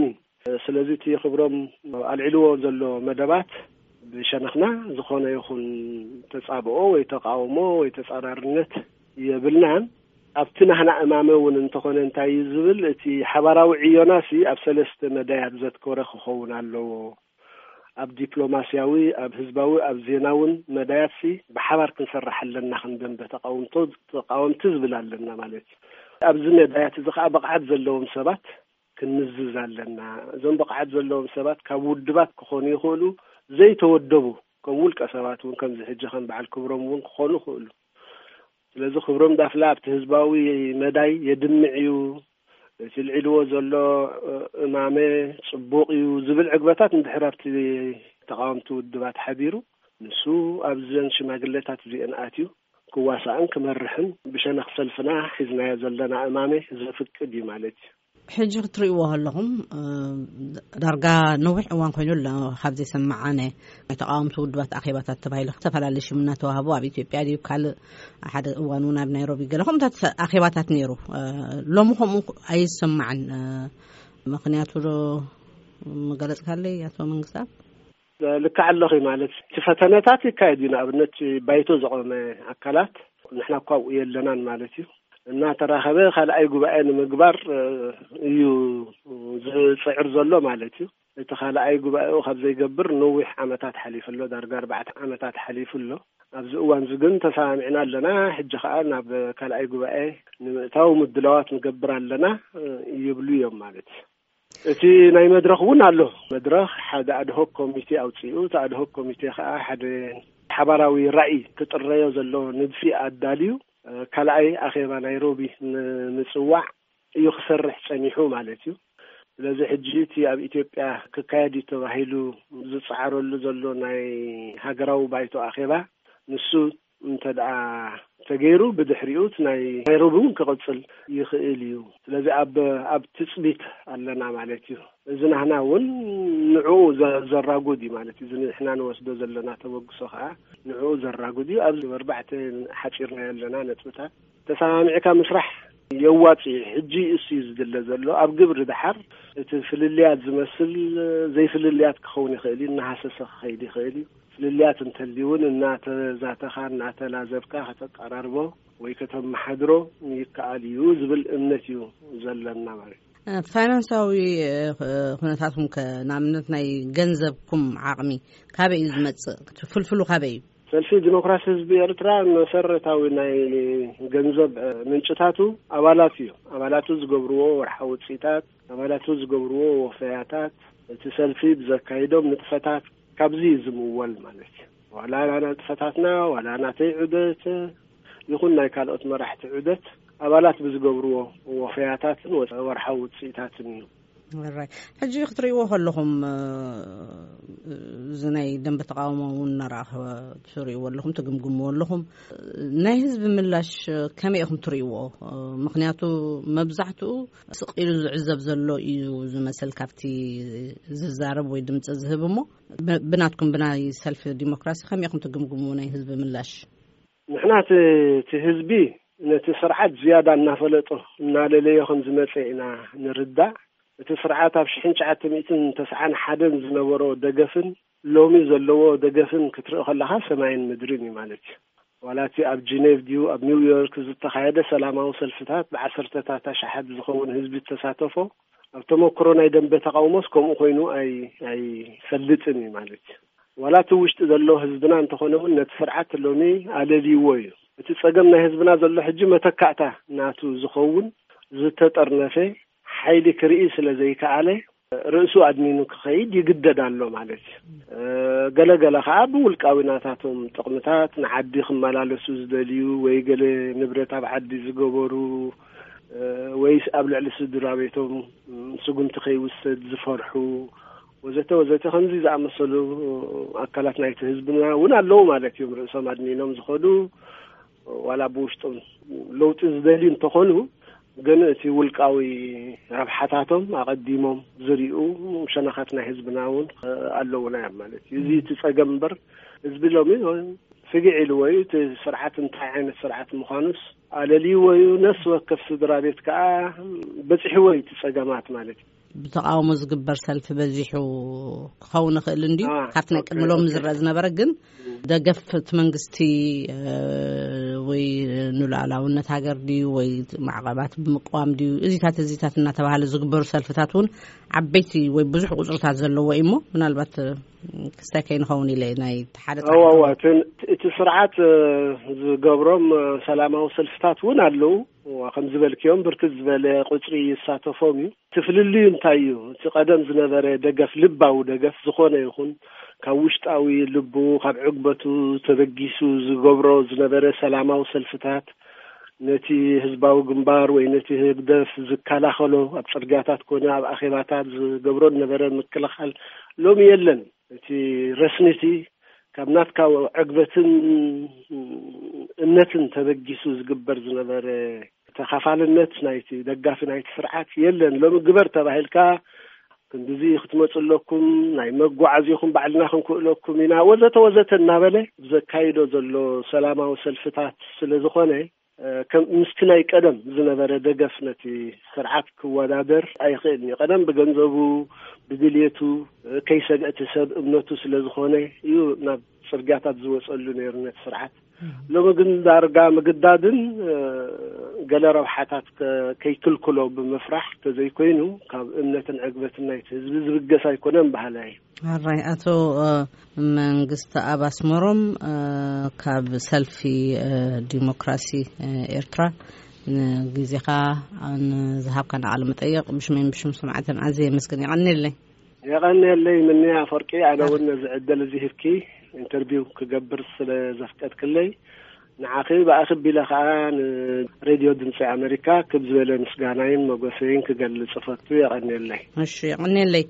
ስለዚ እቲ ክብሮም ኣልዒልዎ ዘሎ መደባት ብሸነኽና ዝኾነ ይኹን ተጻብኦ ወይ ተቃውሞ ወይ ተጻራርነት የብልናን። ኣብቲ ናህና እማመ እውን እንተኾነ እንታይ እዩ ዝብል እቲ ሓባራዊ ዕዮና ሲ ኣብ ሰለስተ መዳያት ዘትኮረ ክኸውን ኣለዎ። ኣብ ዲፕሎማስያዊ፣ ኣብ ህዝባዊ፣ ኣብ ዜናውን መዳያትሲ ብሓባር ክንሰርሕ ኣለና። ከም ደንበ ተቃውምቶ ተቃወምቲ ዝብል ኣለና ማለት እዩ። ኣብዚ መዳያት እዚ ከዓ ብቕዓት ዘለዎም ሰባት ክንምዝዝ ኣለና። እዞም ብቕዓት ዘለዎም ሰባት ካብ ውድባት ክኾኑ ይኽእሉ፣ ዘይተወደቡ ከም ውልቀ ሰባት እውን ከምዚ ሕጂ ከም በዓል ክብሮም እውን ክኾኑ ይኽእሉ። ስለዚ ክብሮም ዳፍላ ኣብቲ ህዝባዊ መዳይ የድምዕ እዩ፣ እቲ ልዒልዎ ዘሎ እማመ ጽቡቕ እዩ ዝብል ዕግበታት እንድሕር ኣብቲ ተቃወምቲ ውድባት ሓቢሩ ንሱ ኣብዘን ሽማግሌታት እዚአን ኣትዩ ክዋሳእን ክመርሕን ብሸነኽ ሰልፍና ሒዝናዮ ዘለና እማመ ዘፍቅድ እዩ ማለት እዩ። ሕጂ ክትርእይዎ ከለኹም ዳርጋ ነዊሕ እዋን ኮይኑ ኣሎ ካብ ዘይሰማዓነ ናይ ተቃወምቲ ውድባት ኣኼባታት ተባሂሉ ዝተፈላለዩ ሽም እናተዋህቡ ኣብ ኢትዮጵያ ድዩ ካልእ ሓደ እዋን እውን ኣብ ናይሮቢ ገለ ከምኡታት ኣኼባታት ነይሩ። ሎሚ ከምኡ ኣይሰማዕን። ምክንያቱ ዶ ምገለጽካለይ ኣቶ መንግስታብ? ልክዕ ኣለኺ ማለት እቲ ፈተነታት ይካየድ እዩ። ንኣብነት ባይቶ ዘቆመ ኣካላት ንሕና እኳ ኣብኡ የለናን ማለት እዩ። እናተራኸበ ካልኣይ ጉባኤ ንምግባር እዩ ዝፅዕር ዘሎ ማለት እዩ። እቲ ካልኣይ ጉባኤኡ ካብ ዘይገብር ነዊሕ ዓመታት ሓሊፉ ኣሎ። ዳርጋ ኣርባዕተ ዓመታት ሓሊፉ ኣሎ። ኣብዚ እዋን እዚ ግን ተሰማሚዕና ኣለና። ሕጂ ከዓ ናብ ካልኣይ ጉባኤ ንምእታው ምድላዋት ንገብር ኣለና ይብሉ እዮም ማለት እዩ። እቲ ናይ መድረኽ እውን ኣሎ። መድረኽ ሓደ ኣድሆክ ኮሚቴ ኣውፅኡ። እቲ ኣድሆክ ኮሚቴ ከዓ ሓደ ሓባራዊ ራእይ ክጥረዮ ዘሎ ንድፊ ኣዳልዩ ካልኣይ ኣኼባ ናይሮቢ ንምፅዋዕ እዩ ክሰርሕ ፀኒሑ ማለት እዩ። ስለዚ ሕጂ እቲ ኣብ ኢትዮጵያ ክካየድ እዩ ተባሂሉ ዝፀዓረሉ ዘሎ ናይ ሃገራዊ ባይቶ ኣኼባ ንሱ እንተ ደኣ ተገይሩ፣ ብድሕሪኡ እቲ ናይ ናይሮቢ እውን ክቕጽል ይኽእል እዩ። ስለዚ ኣብ ኣብ ትጽቢት ኣለና ማለት እዩ። እዚ ናህና እውን ንዕኡ ዘ- ዘራጉድ እዩ ማለት እዩ። እዚ ንሕና ንወስዶ ዘለና ተበግሶ ከዓ ንዕኡ ዘራጉድ እዩ። ኣብዚ ኣርባዕተ ሓፂርና ያለና ነጥብታት ተሰማሚዕካ ምስራሕ የዋፅ እዩ። ሕጂ እሱ እዩ ዝድለ ዘሎ። ኣብ ግብሪ ድሓር እቲ ፍልልያት ዝመስል ዘይፍልልያት ክኸውን ይኽእል እዩ፣ እናሃሰሰ ክኸይድ ይኽእል እዩ። ፍልልያት እንተልዩ እውን እናተዛተኻ እናተላዘብካ ከተቀራርቦ ወይ ከተመሓድሮ ይከኣል እዩ ዝብል እምነት እዩ ዘለና ማለት እዩ። ፋይናንሳዊ ኩነታትኩም ከ ንኣብነት ናይ ገንዘብኩም ዓቕሚ ካበይ እዩ ዝመጽእ? ፍልፍሉ ካበይ እዩ? ሰልፊ ዲሞክራሲ ህዝቢ ኤርትራ መሰረታዊ ናይ ገንዘብ ምንጭታቱ ኣባላት እዩ። ኣባላቱ ዝገብርዎ ወርሓዊ ውፅኢታት፣ ኣባላቱ ዝገብርዎ ወፈያታት፣ እቲ ሰልፊ ብዘካይዶም ንጥፈታት ካብዚ እዩ ዝምወል ማለት እዩ። ዋላ ንጥፈታትና ዋላ ናተይ ዑደት ይኹን ናይ ካልኦት መራሕቲ ዑደት ኣባላት ብዝገብርዎ ወፈያታትን ወርሓዊ ውፅኢታትን እዩ። ሕጂ ክትርእይዎ ከለኹም እዚ ናይ ደንበ ተቃውሞ እውን እናረኣኸ ትርእይዎ ኣለኹም፣ ትግምግምዎ ኣለኹም። ናይ ህዝቢ ምላሽ ከመይ ኢኹም ትርእይዎ? ምክንያቱ መብዛሕትኡ ስቕ ኢሉ ዝዕዘብ ዘሎ እዩ ዝመስል ካብቲ ዝዛረብ ወይ ድምፂ ዝህብ እሞ፣ ብናትኩም ብናይ ሰልፊ ዲሞክራሲ ከመይ ኢኹም ትግምግምዎ ናይ ህዝቢ ምላሽ? ንሕና እቲ ህዝቢ ነቲ ስርዓት ዝያዳ እናፈለጦ እናለለዮ ከም ዝመፀ ኢና ንርዳእ። እቲ ስርዓት ኣብ ሽሕን ትሽዓተ ሚእትን ተስዓን ሓደን ዝነበሮ ደገፍን ሎሚ ዘለዎ ደገፍን ክትርኢ ከለካ ሰማይን ምድርን እዩ ማለት እዩ። ዋላ እቲ ኣብ ጂኔቭ ድዩ ኣብ ኒውዮርክ ዝተኻየደ ሰላማዊ ሰልፍታት ብዓሰርተታት ኣሽሓት ዝኸውን ህዝቢ ዝተሳተፎ ኣብ ተመክሮ ናይ ደንበ ተቃውሞስ ከምኡ ኮይኑ ኣይፈልጥን እዩ ማለት እዩ። ዋላ እቲ ውሽጢ ዘሎ ህዝብና እንተኾነ እውን ነቲ ስርዓት ሎሚ ኣለልይዎ እዩ። እቲ ፀገም ናይ ህዝብና ዘሎ ሕጂ መተካእታ ናቱ ዝኸውን ዝተጠርነፈ ሓይሊ ክርኢ ስለ ዘይከኣለ ርእሱ ኣድኒኑ ክኸይድ ይግደድ ኣሎ ማለት እዩ። ገለገለ ከዓ ብውልቃዊ ናታቶም ጥቕምታት ንዓዲ ክመላለሱ ዝደልዩ ወይ ገለ ንብረት ኣብ ዓዲ ዝገበሩ ወይስ ኣብ ልዕሊ ስድራ ቤቶም ስጉምቲ ከይውሰድ ዝፈርሑ ወዘተ ወዘተ ከምዚ ዝኣመሰሉ ኣካላት ናይቲ ህዝብና እውን ኣለዉ ማለት እዮም። ርእሶም ኣድኒኖም ዝኸዱ ዋላ ብውሽጦም ለውጢ ዝደልዩ እንተኾኑ ግን እቲ ውልቃዊ ረብሓታቶም ኣቐዲሞም ዝሪኡ ሸነኻት ናይ ህዝብና እውን ኣለውና እዮም ማለት እዩ። እዚ እቲ ፀገም እምበር ህዝቢ ሎሚ ስግዕ ኢልዎ እዩ። እቲ ስርዓት እንታይ ዓይነት ስርዓት ምዃኑስ ኣለልይዎ እዩ። ነፍሲ ወከፍ ስድራ ቤት ከዓ በፂሕዎ እዩ እቲ ፀገማት ማለት እዩ። ብተቃውሞ ዝግበር ሰልፊ በዚሑ ክኸውን ይኽእል እንዲ ካብቲ ናይ ቅድሚ ሎም ዝረአ ዝነበረ ግን ደገፍ እቲ መንግስቲ ወይ ንሉዓላውነት ሃገር ድዩ ወይ ማዕቐባት ብምቅዋም ድዩ እዚታት እዚታት እናተባሃለ ዝግበሩ ሰልፍታት እውን ዓበይቲ ወይ ብዙሕ ቁፅርታት ዘለዎ እዩ እሞ ምናልባት ክስታይ ከይንኸውን ኢለ ናይ ሓደ እዋ እቲ ስርዓት ዝገብሮም ሰላማዊ ሰልፍታት እውን ኣለዉ። ከምዝበልክዮም ብርክት ዝበለ ቁፅሪ ይሳተፎም እዩ። እቲ ፍልልዩ እንታይ እዩ? እቲ ቀደም ዝነበረ ደገፍ ልባዊ ደገፍ ዝኾነ ይኹን ካብ ውሽጣዊ ልቡ ካብ ዕግበቱ ተበጊሱ ዝገብሮ ዝነበረ ሰላማዊ ሰልፍታት ነቲ ህዝባዊ ግንባር ወይ ነቲ ህግደፍ ዝከላኸሎ ኣብ ፅርግያታት ኮነ ኣብ ኣኼባታት ዝገብሮ ዝነበረ ምክልኻል ሎሚ የለን። እቲ ረስኒቲ ካብ ናትካ ዕግበትን እምነትን ተበጊሱ ዝግበር ዝነበረ ተኻፋልነት ናይቲ ደጋፊ ናይቲ ስርዓት የለን። ሎሚ ግበር ተባሂልካ ክንድዚ ክትመፁ ኣለኩም፣ ናይ መጓዓዚኹም ባዕልና ክንክእለኩም ኢና ወዘተ ወዘተ እናበለ ዘካይዶ ዘሎ ሰላማዊ ሰልፍታት ስለ ዝኾነ ምስቲ ናይ ቀደም ዝነበረ ደገፍ ነቲ ስርዓት ክወዳደር ኣይኽእልን እዩ። ቀደም ብገንዘቡ ብድልየቱ ከይሰግአ እቲ ሰብ እምነቱ ስለ ዝኾነ እዩ ናብ ፅርግያታት ዝወፀሉ ነይሩ ነቲ ስርዓት። ሎሚ ግን ዳርጋ ምግዳድን ገለ ረብሓታት ከይክልክሎ ብምፍራሕ ተዘይኮይኑ ካብ እምነትን ዕግበትን ናይቲ ህዝቢ ዝብገስ ኣይኮነን በሃላይ። ኣራይ ኣቶ መንግስቲ ኣብ ኣስመሮም ካብ ሰልፊ ዲሞክራሲ ኤርትራ ንግዜኻ ንዝሃብካና ቃለ መጠየቕ ብሽመይን ብሽም ሰማዕትን ኣዝየ የመስግን። የቐንየለይ። የቐንየለይ ምንያ ኣፈወርቂ፣ ኣነ እውን ነዚ ዕድል እዚ ሂብኪ ኢንተርቪው ክገብር ስለ ዘፍቀድክለይ ንዓኺ ብኣኺ ቢለ ከዓ ንሬድዮ ድምፂ ኣሜሪካ ክብ ዝበለ ምስጋናይን መጎሰይን ክገልፅ እፈቱ። የቐንየለይ። እሺ፣ የቐንየለይ።